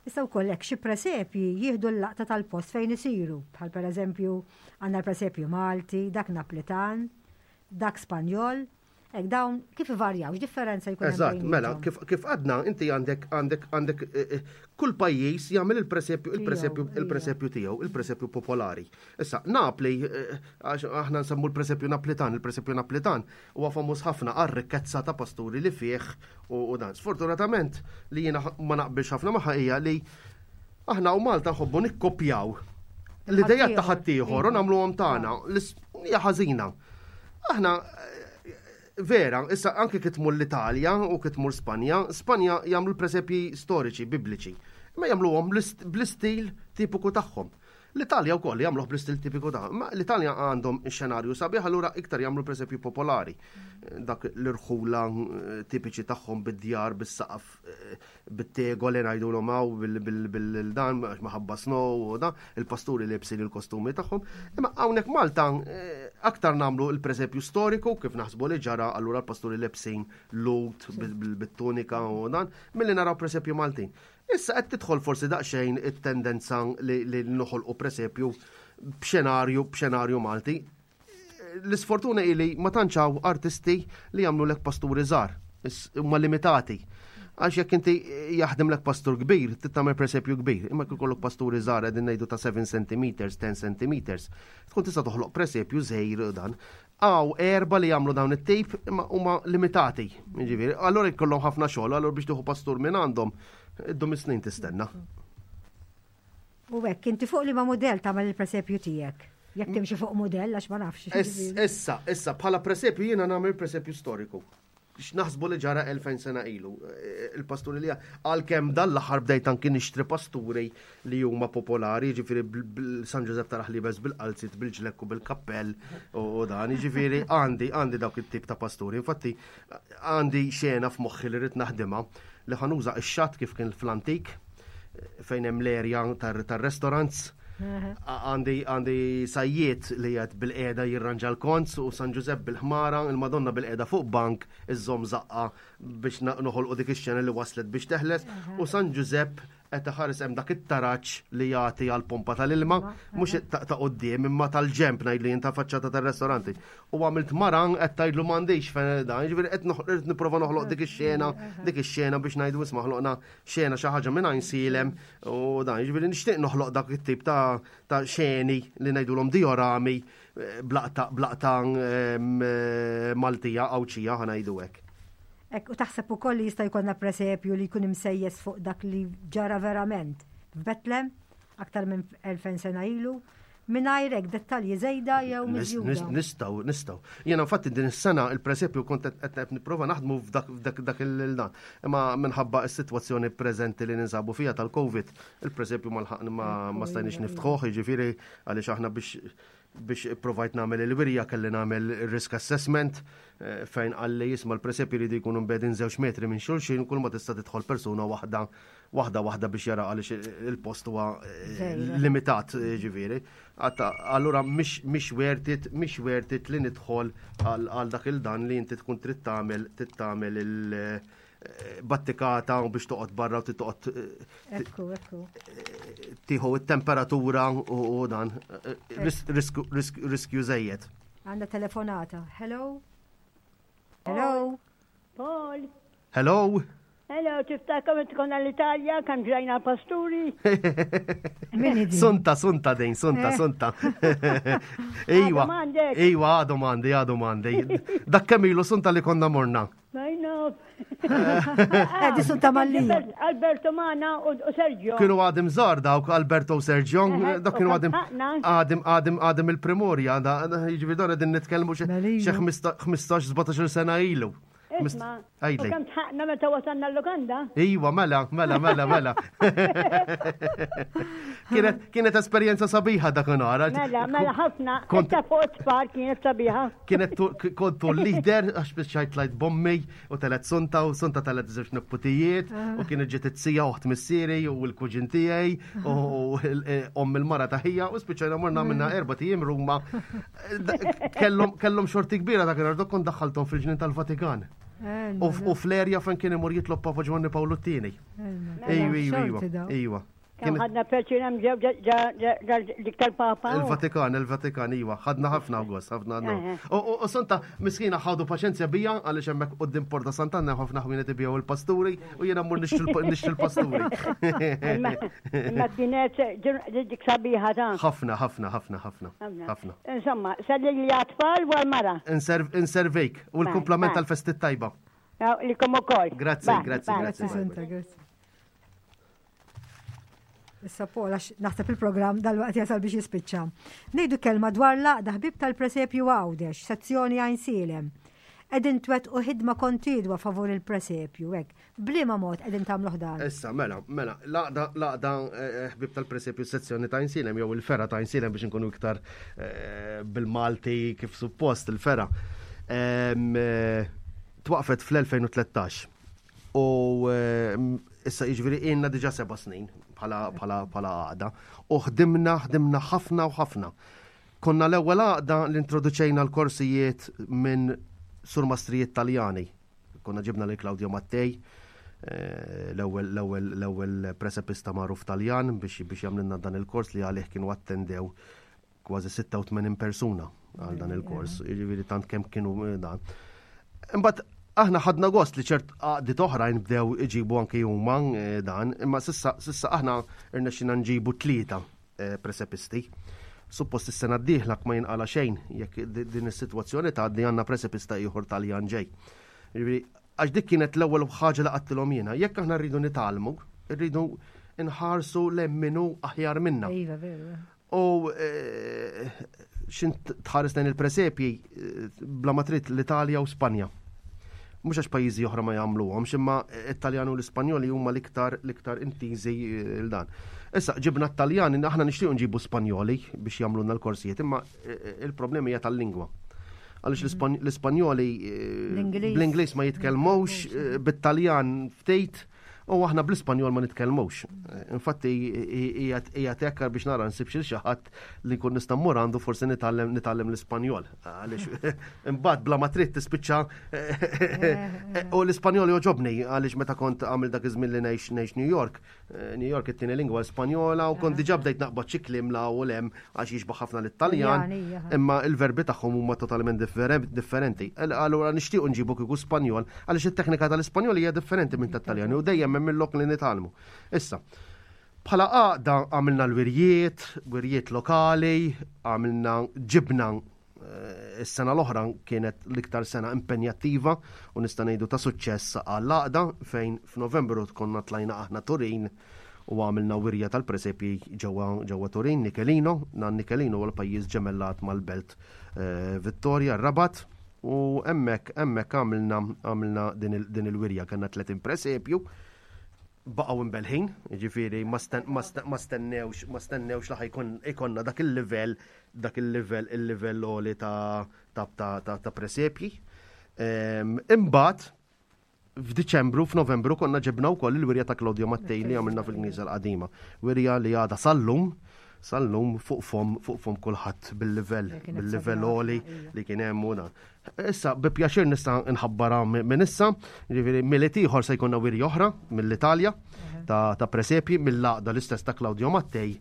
Issa wkoll hekk xi presepji jieħdu l-laqta tal-post fejn isiru, bħal pereżempju għandna l-presepju Malti, dak Naplitan, dak Spanjol. Hekk dawn kif ivarjaw, x'differenza jkun hemm Eżatt, mela, kif, kif għadna inti għandek għandek għandek eh, eh, kull pajjiż jagħmel il-presepju il-presepju il-presepju tiegħu, il-presepju popolari. Issa, Napli, eh, għax aħna nsemmu l-presepju Naplitan, il-presepju Naplitan huwa famuż ħafna għar-rikkezza ta' pasturi li fih u dan. Sfortunatament li jiena ma naqbilx ħafna magħha hija li aħna u Malta nħobbu nikkopjaw l-idejat ta' ħaddieħor u nagħmluhom tagħna. Hija ħażina. Aħna vera, issa anke kif tmur l-Italja u kif tmur Spanja, Spanja jagħmlu l-presepji storiċi, bibliċi, imma jagħmluhom bl-istil tipiku tagħhom. L-Italja wkoll jagħmluh bl-istil tipiku tagħhom. Ma l-Italja għandhom xenarju sabiħ allura iktar jagħmlu presepju popolari. Dak l-irħula eh, tipiċi tagħhom bid-djar, bis-saqaf eh, bit-tegoli ngħidulhom hawn bil-dan għax maħabba snow u dan, il-pasturi libsin il-kostumi tagħhom. Imma hawnhekk Malta eh, aktar nagħmlu l-presepju storiku kif naħsbu li ġara allura l-pasturi lebsin lut bit-tunika u dan, milli naraw presepju Maltin. Issa qed tidħol forsi daqsxejn it-tendenza li noħolqu presepju b'xenarju b'xenarju Malti l-isfortuna hi li ma tantx hawn artisti li jagħmlu lek pasturi żgħar, huma limitati. Għax jekk inti jaħdem lek pastur kbir, tagħmel presepju kbir, imma jekk ikollok pasturi żgħar qegħdin ngħidu ta' 7 cm, 10 cm, tkun tista' toħloq presepju żgħir dan. Għaw erba li jagħmlu dawn it-tip imma huma limitati. Ġifieri, allura jkollhom ħafna xogħol, allura biex tieħu pastur minn għandhom, iddum is-snin tistenna. U hekk, inti fuq liema mudell tagħmel il-presepju tiegħek? Jekk timxi fuq mudell għax ma nafx. Issa, issa, bħala presepju jiena nagħmel presepju storiku. X'naħsbu li ġara 2000 sena ilu. E, il-pasturi li għalkemm dan l-aħħar bdejt anki nixtri pasturi li huma popolari, jiġifieri San Ġużepp tal-Ħlibes bil-qalzit, bil-ġlekku, bil-kappell u dan, jiġifieri għandi għandi dawk it-tip ta' pasturi. Infatti għandi xena f'moħħi li rrid naħdimha li ħa nuża x-xatt kif kien fl-antik fejn hemm l-erja tar-restaurants. Għandi għandi sajjiet li qed bil-qiegħda jirranġa l-konz u San Ġużepp bil-ħmara, il-Madonna bil-qiegħda fuq bank iżżomm żaqqa biex noħolqu dik ix-xena li waslet biex teħles u San Ġużepp qed iħares hemm dak it-taraġ li jagħti għal pompa tal-ilma, mhux ta' quddiem imma tal-ġemp ngħid li ta' faċċata tar-restoranti. U għamilt maran qed tgħidlu m'għandix fejn dan, jiġifieri qed qed nipprova noħloq dik ix-xena, dik ix-xena biex ngħidu isma' ħloqna xena xi ħaġa minn Għajnsielem u dan, jiġifieri nixtieq noħloq dak it-tip ta' ta' xeni li ngħidulhom diorami eh, blaqta blaqta ehm, eh, Maltija Għawdxija ħa ngħidu hekk. Hekk, u taħseb ukoll li jista' jkollna presepju li jkun imsejjes fuq dak li ġara verament f'Betlem aktar minn 2000 sena ilu, mingħajr hekk dettalji żejda jew miżjuda. Nistgħu, nistgħu. Jiena infatti din is-sena il-presepju kont qed nipprova naħdmu f'dak dak il-dan. Imma minħabba s-sitwazzjoni preżenti li ninsabu fiha tal-COVID, il-presepju ma lħaqna ma stajniex niftħuh, jiġifieri għaliex aħna biex Biex ipprovajt nagħmel il-wirja kelli nagħmel risk assessment eh, fejn qalli jisma' l-presepji jridu jkunu mbegħdin żewġ metri minn xulxin kull ma tista' tidħol persuna waħda waħda waħda biex jara għaliex il-post huwa eh, limitat eh, ġifieri. Allura mhix worth it, mhix worth it li nidħol għal dak il-dan li inti tkun trid tagħmel trid tagħmel il- battikata u biex toqgħod barra u toqgħod eh, Ekku, ekku. Eh, tieħu it-temperatura u dan eh, riskju żejjed. Għandna telefonata. Hello? Hello? Paul. Hello? Hello, tiftakar meta konna l-Italja, kan ġrajna pasturi. Sunta, sunta dejn, sunta, sunta. Iwa, iwa, għadu mandi, għadu mandi. Dak kemm ilu sunta li konna morna. I know. Edi sunta malli. Alberto Mana u Sergio. Kienu għadim zar dawk Alberto u Sergio, dak kienu għadim għadim għadim għadim il-primorja, jiġifieri dan qegħdin nitkellmu xi 15-17 sena ilu. Isma, u kemm tħaqna meta wasalna l-lukanda? Iwa, mela, mela, mela, mela. Kienet, kienet esperjenza sabiħa dakinhar. Mela, mela ħafna. Kont fuq it-tfal kienet sabiħa. Kienet kontu l-leader għax biċċajt tlajt bommi u telet sunta u sunta telet żewġ nepputijiet u kienet ġiet it-sija oħt missieri u l-kuġin tiegħi u e, omm il-mara ta' ħija u spiċċajna morna minna erba' tijiem Ruma. Kellhom xorti kbira dakinhar dok kont daħħalthom fil-ġnien tal-Vatikan. Eh, u fl-erja fejn kien imur jitlob Papa Ġwanni Pawlu t-tieni. Ejwa, ejwa, ejwa. Kemm ħadna pjaċir hemm ġew dik tal-Papa. Il-Vatikan, il-Vatikan, iva, ħadna ħafna gost, ħafna U Santa, miskina ħadu paċenzja bija għaliex hemmhekk quddiem Porta Sant'Anna ħafna ħwienet ibiegħu il-pasturi u jiena mmur nixtri l-pasturi. Imma kienet dik sabiħa ta'. Ħafna, ħafna, ħafna, ħafna. Ħafna. Insomma, selli li għat-tfal u għal-mara. Inservejk u l-kumplament tal-festi tajba. Likom ukoll. Grazzi, grazzi, grazzi. Santa, grazzi. Issa Paul, għax naħseb il-programm dal-waqt jasal biex jispiċċa. Ngħidu kelma dwar l-għaqda ħbieb tal-presepju Għawdex, sezzjoni Għajnsielem. Qegħdin twettqu ħidma kontinwa favur il-presepju, hekk. B'liema mod qegħdin tagħmluh dan? Issa, mela, mela, l-għaqda, l-għaqda eh, ħbieb tal-presepju sezzjoni ta' Għajnsielem jew il-fergħa ta' Għajnsielem biex inkunu iktar eh, bil-Malti kif suppost il-fergħa. Eh, twaqfet fl-2013 U ehm, issa jiġifieri ilna diġà seba' snin bħala bħala bħala għaqda. U ħdimna ħdimna ħafna u ħafna. Konna l-ewwel għaqda li introduċejna l-korsijiet minn surmastrijiet Taljani. Konna ġibna lil Claudio Mattei, eh, l-ewwel l-ewwel l-ewwel presepista magħruf Taljan biex biex jagħmlilna dan il-kors li għalih kienu attendew kważi 86 persuna għal dan il-kors, jiġifieri tant kemm kienu eh, dan. Imbagħad aħna ħadna gost li ċert għaqdiet oħrajn bdew iġibu anke huma eh, dan, imma sissa sissa aħna rnexxina nġibu tlieta eh, presepisti. Suppost is-sena d-dieħla ma jinqala xejn jekk din is-sitwazzjoni tgħaddi għandna presepista ieħor Taljan ġej. Jiġifieri, għax dik kienet l-ewwel ħaġa li qattilhom jiena. Jekk aħna rridu nitgħallmu, rridu nħarsu lemminu aħjar minna. Iva, veru. U eh, xin tħares lejn il-presepji eh, bla ma trid l-Italja u Spanja. Mhux għax pajjiżi oħra ma jagħmluhomx, imma it-Taljan u l-Ispanjoli huma l-iktar l-iktar intiżi eh, l dan. Issa ġibna t-Taljani, aħna nixtiequ nġibu Spanjoli biex jagħmlulna l-korsijiet, imma il-problemi hija tal-lingwa. Għaliex mhm. l-Ispanjoli bl-Ingliż ma jitkellmux, bit-Taljan ftit, U aħna bl-Ispanjol ma nitkellmux. Infatti qiegħed hekk biex nara nsib xi ħadd li nkun nista' mmur għandu forsi nitgħallem nitgħallem l-Ispanjol. Għaliex imbagħad bla ma trid tispiċċa u l-Ispanjol joġobni għaliex meta kont għamil dak iż-żmien li ngħix ngħix New York, eh, New York it-tieni lingwa Spanjola u kont diġà bdejt naqbad xi kliem la u lem għax jixbaħ ħafna lit-Taljan, imma il-verbi tagħhom huma totalment differenti. Allura nixtiequ nġibu kieku Spanjol għaliex it-teknika tal-Ispanjol hija differenti minn tat-Taljan u dejjem hemm il-lok li nitgħallmu. Issa, bħala għaqda għamilna l-wirjiet, wirjiet lokali, għamilna ġibna eh, is-sena l-oħra kienet l-iktar sena impenjattiva u nista' ngħidu ta' suċċess għall-għaqda fejn f'Novembru konna tlajna aħna Turin u għamilna wirja tal-presepji ġewwa ġewwa Turin, Nichelino, nan Nichelino huwa l-pajjiż ġemellat mal-belt eh, Vittoria, Rabat, u hemmhekk hemmhekk għamilna għamilna din il-wirja kellna 30 presepju baqgħu imbelħin, jiġifieri ma stennewx ma stennewx li ħajkun ikonna dak il-livell dak il-livell il-livell għoli ta' ta' ta' ta' presepji. Ehm, imbagħad F'Diċembru, f'Novembru konna ġibna wkoll il-wirja ta' Claudio Mattei li għamilna fil-Knisja l-Qadima. Wirja li għadha sal-lum, sal-lum fuq fom, fuq fom kulħadd bil-livell, bil-livell għoli li kien hemm u dan. Issa, bi pjaċir nista' nħabbara minn issa, jiġifieri Milied ieħor se jkollna wirja oħra mill-Italja ta', ta presepji mill-għaqda l-istess ta' Claudio Mattei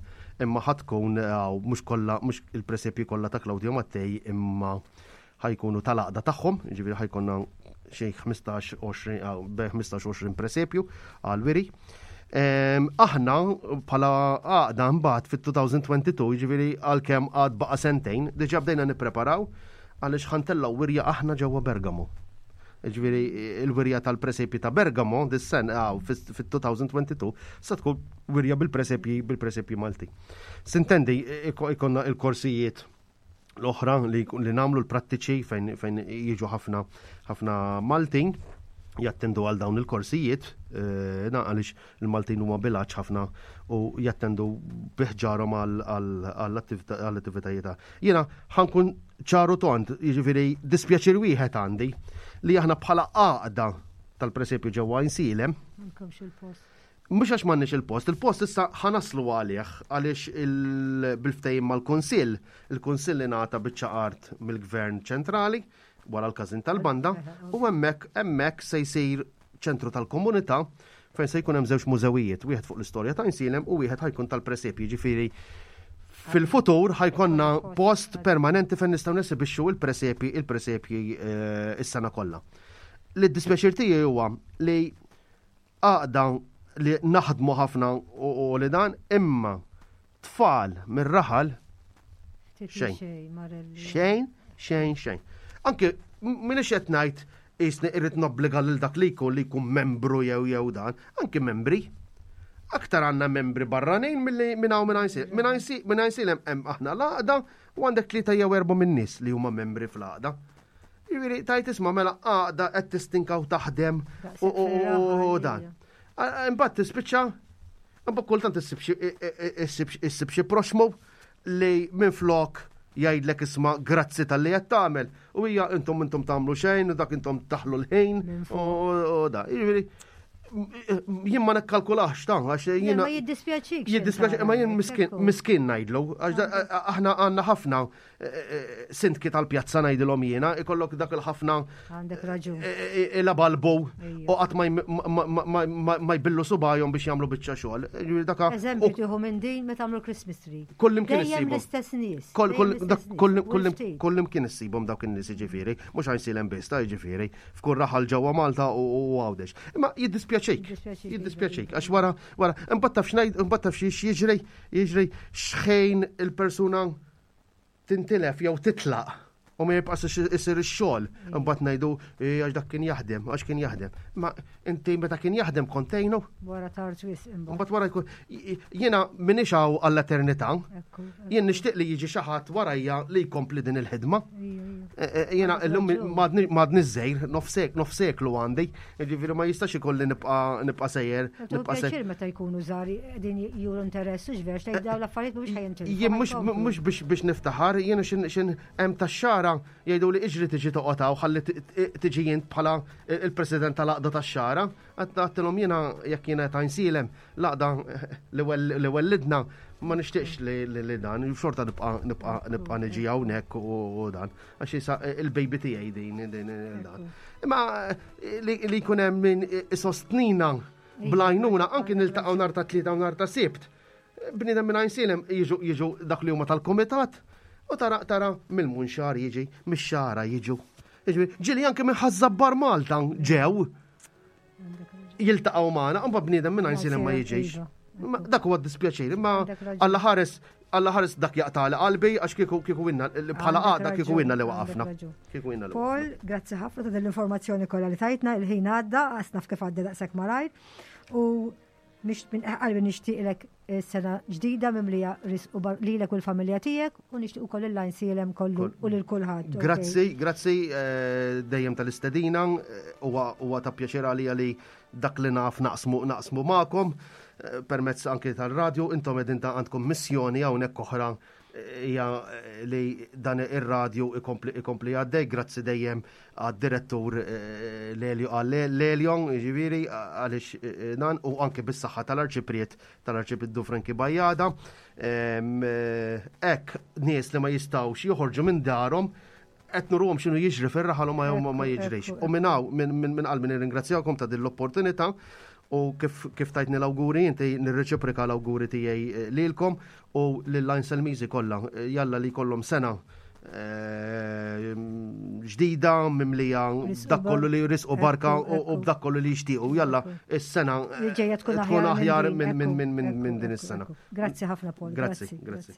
imma ħa tkun eh, mhux kollha mhux il-presepji kollha ta' Claudio Mattei imma ħa jkunu tal-għaqda tagħhom, jiġifieri ħa jkollna xi 15-20 bejn 15-20 presepju għal wiri. Ehm, aħna bħala għaqda mbagħad fit-2022, jiġifieri għalkemm għad baqa' sentejn, diġà bdejna nippreparaw għaliex ħantellaw wirja aħna ġewwa Bergamo. Ġifieri il-wirja tal-presepji ta' Bergamo dis-sen fit-2022 se tkun wirja bil-presepji bil-presepji Malti. Sintendi ikonna il-korsijiet l-oħra li, li namlu l-prattiċi fejn, fejn jiġu ħafna ħafna Maltin jattendu għal dawn il-korsijiet, eh, na għaliex il-Maltin huma bilaċ ħafna u jattendu biħġarhom għall-attivitajiet. Jiena ħankun ċaru tont, jiġifieri dispjaċir wieħed għandi li aħna bħala għaqda tal-presepju ġewwa Insilem. Mhux għax m'għandniex il-post, il-post issa ħa naslu għalih għaliex bil-ftehim mal-Kunsill, il-Kunsill ingħata biċċa art mill-Gvern ċentrali wara l-każin tal-banda u hemmhekk hemmhekk se jsir ċentru tal-komunità. fejn se jkun hemm żewġ mużewijiet, wieħed fuq l-istorja ta' Għajnsielem u wieħed ħajkun tal-presepji, ġifieri fil-futur ħajkonna post permanenti fejn nistgħu nesibixxu il-presepji il-presepji eh, is-sena kollha. Li d-dispjaċir tiegħi huwa li għaqda li naħdmu ħafna u li dan imma tfal mir-raħal xejn. Xejn, xejn, xejn. Anke minix qed ngħid jisni irrid nobbliga lil dak li jkun li jkun membru jew jew dan, anke membri. Aktar għandna membri barranin milli minn hawn minn Għajnsielem. Minn Għajnsielem hemm aħna l-għaqda u għandek tlieta jew erba' minn nies li huma membri fl-għaqda. Jiġifieri tajt isma' mela għaqda qed tistinka u taħdem u dan. Imbagħad tispiċċa imbagħad kultant issib xi proxmu li minflok jgħidlek isma' grazzi tal-li qed tagħmel u hija intom intom tagħmlu xejn u dak intom taħlu l-ħin u da. Jiġifieri jien ma nikkalkulax ta' għax jiena. Ma jiddispjaċik. Jiddispjaċik, ma jien miskin ngħidlu, għax aħna għandna ħafna sindki tal-pjazza ngħidilhom jiena, ikollok dak il-ħafna. Għandek raġun. Il-abalbu u qatt ma jbillu subajhom biex jagħmlu biċċa xogħol. Daka. Eżempju tieħu minn din meta tagħmlu Christmas tree. Kullimkien issibhom. l-istess nies. Kullimkien issibhom dawk in-nies jiġifieri, mhux għajnsilem biss ta' jiġifieri, f'kull raħal ġewwa Malta u Għawdex. Imma jiddispjaċik. Jiddispjaċik għax wara wara imbagħad taf x'ngħid imbagħad taf x'jiġri jiġri x'ħin il-persuna tintilef jew titlaq u ma jibqax isir ix-xogħol, imbagħad ngħidu eh, għax dak kien jaħdem, għax kien jaħdem. Ma inti meta kien jaħdem kontejnu? Wara tard wisq imbagħad. Imbagħad wara jkun jiena m'iniex hawn għall-eternità. Jien nixtieq li jiġi xi ħadd warajja li jkompli din il-ħidma. Eh, eh, jiena llum m'għadni żejr, nofseklu għandi, jiġifieri ma jistax ikolli nibqa' nibqa' sejjer. Nibqa' sejjer. meta jkunu żgħar qegħdin juru interess u x'verx tgħid dawn l-affarijiet mhux ħajintilfu. Jien mhux biex biex niftaħar, jiena x'in hemm tax-xara jgħidu li iġri tiġi toqgħod hawn ħalli tiġi jint bħala il-president tal-għaqda tax-xara. Għattilhom jiena jekk jiena ta' nsilem l-għaqda li wellidna ma nixtieqx li dan, xorta nibqa' nibqa' nibqa' niġi hawnhekk u dan. Għax isa il-baby tiegħi din din dan. Imma li jkun hemm min isostnina blajnuna anki niltaqgħu nhar ta' tlieta u nhar ta' sibt. Bniedem minn għajnsilem jiġu jiġu dak li huma tal-kumitat u tara tara mill-munxar jiġi, mix-xara jiġu. Ġieli anke minn ħażabbar Malta ġew jiltaqgħu magħna, imma bniedem minn għajnsilem ma jiġix. Iva. Dak huwa dispjaċir, imma Alla ħares Alla ħares dak jaqtali qalbi għax kieku kieku inna bħala għada kieku inna li waqafna. Kieku inna li Paul, grazzi ħafna ta' dell-informazzjoni kollha li tajtna, il-ħin għadda, għasnaf kif għadda daqshekk malajr. U minn qalbi nixtieqlek eh, sena ġdida mimlija risq u lilek u l-familja tiegħek u nixtieq ukoll il-lajn sielem kollu u lil kulħadd. Grazzi, grazzi eh, dejjem tal-istedina, eh, huwa ta' pjaċir għalija li dak li naf naqsmu naqsmu magħkom eh, permezz anki tal-radju, intom qegħdin ta' għandkom missjoni hawnhekk oħra eh, hija eh, li dan ir-radju ikompli ikompli għaddej, grazzi dejjem għad-direttur Lelio għal Lelion, ġifieri għaliex dan u anke bis-saħħa tal-Arċipriet tal-Arċipriet Franki Bajjada. Hekk nies li ma jistgħux joħorġu minn darhom qed nuruhom x'inhu jiġri fir-raħal u ma ma jiġrix. U minn hawn minn qalbi nirringrazzjakom ta' din l-opportunità u kif kif tajtni l-awguri inti nirreċiproka l-awguri tiegħi eh, lilkom u lil Selmiżi kollha. Eh, jalla li jkollhom sena eh, ġdida mimlija b'dak kollu li risqu barka u b'dak kollu li jixtiequ. Jalla is-sena tkun aħjar minn din is-sena. Grazzi ħafna Paul. Grazzi, grazzi.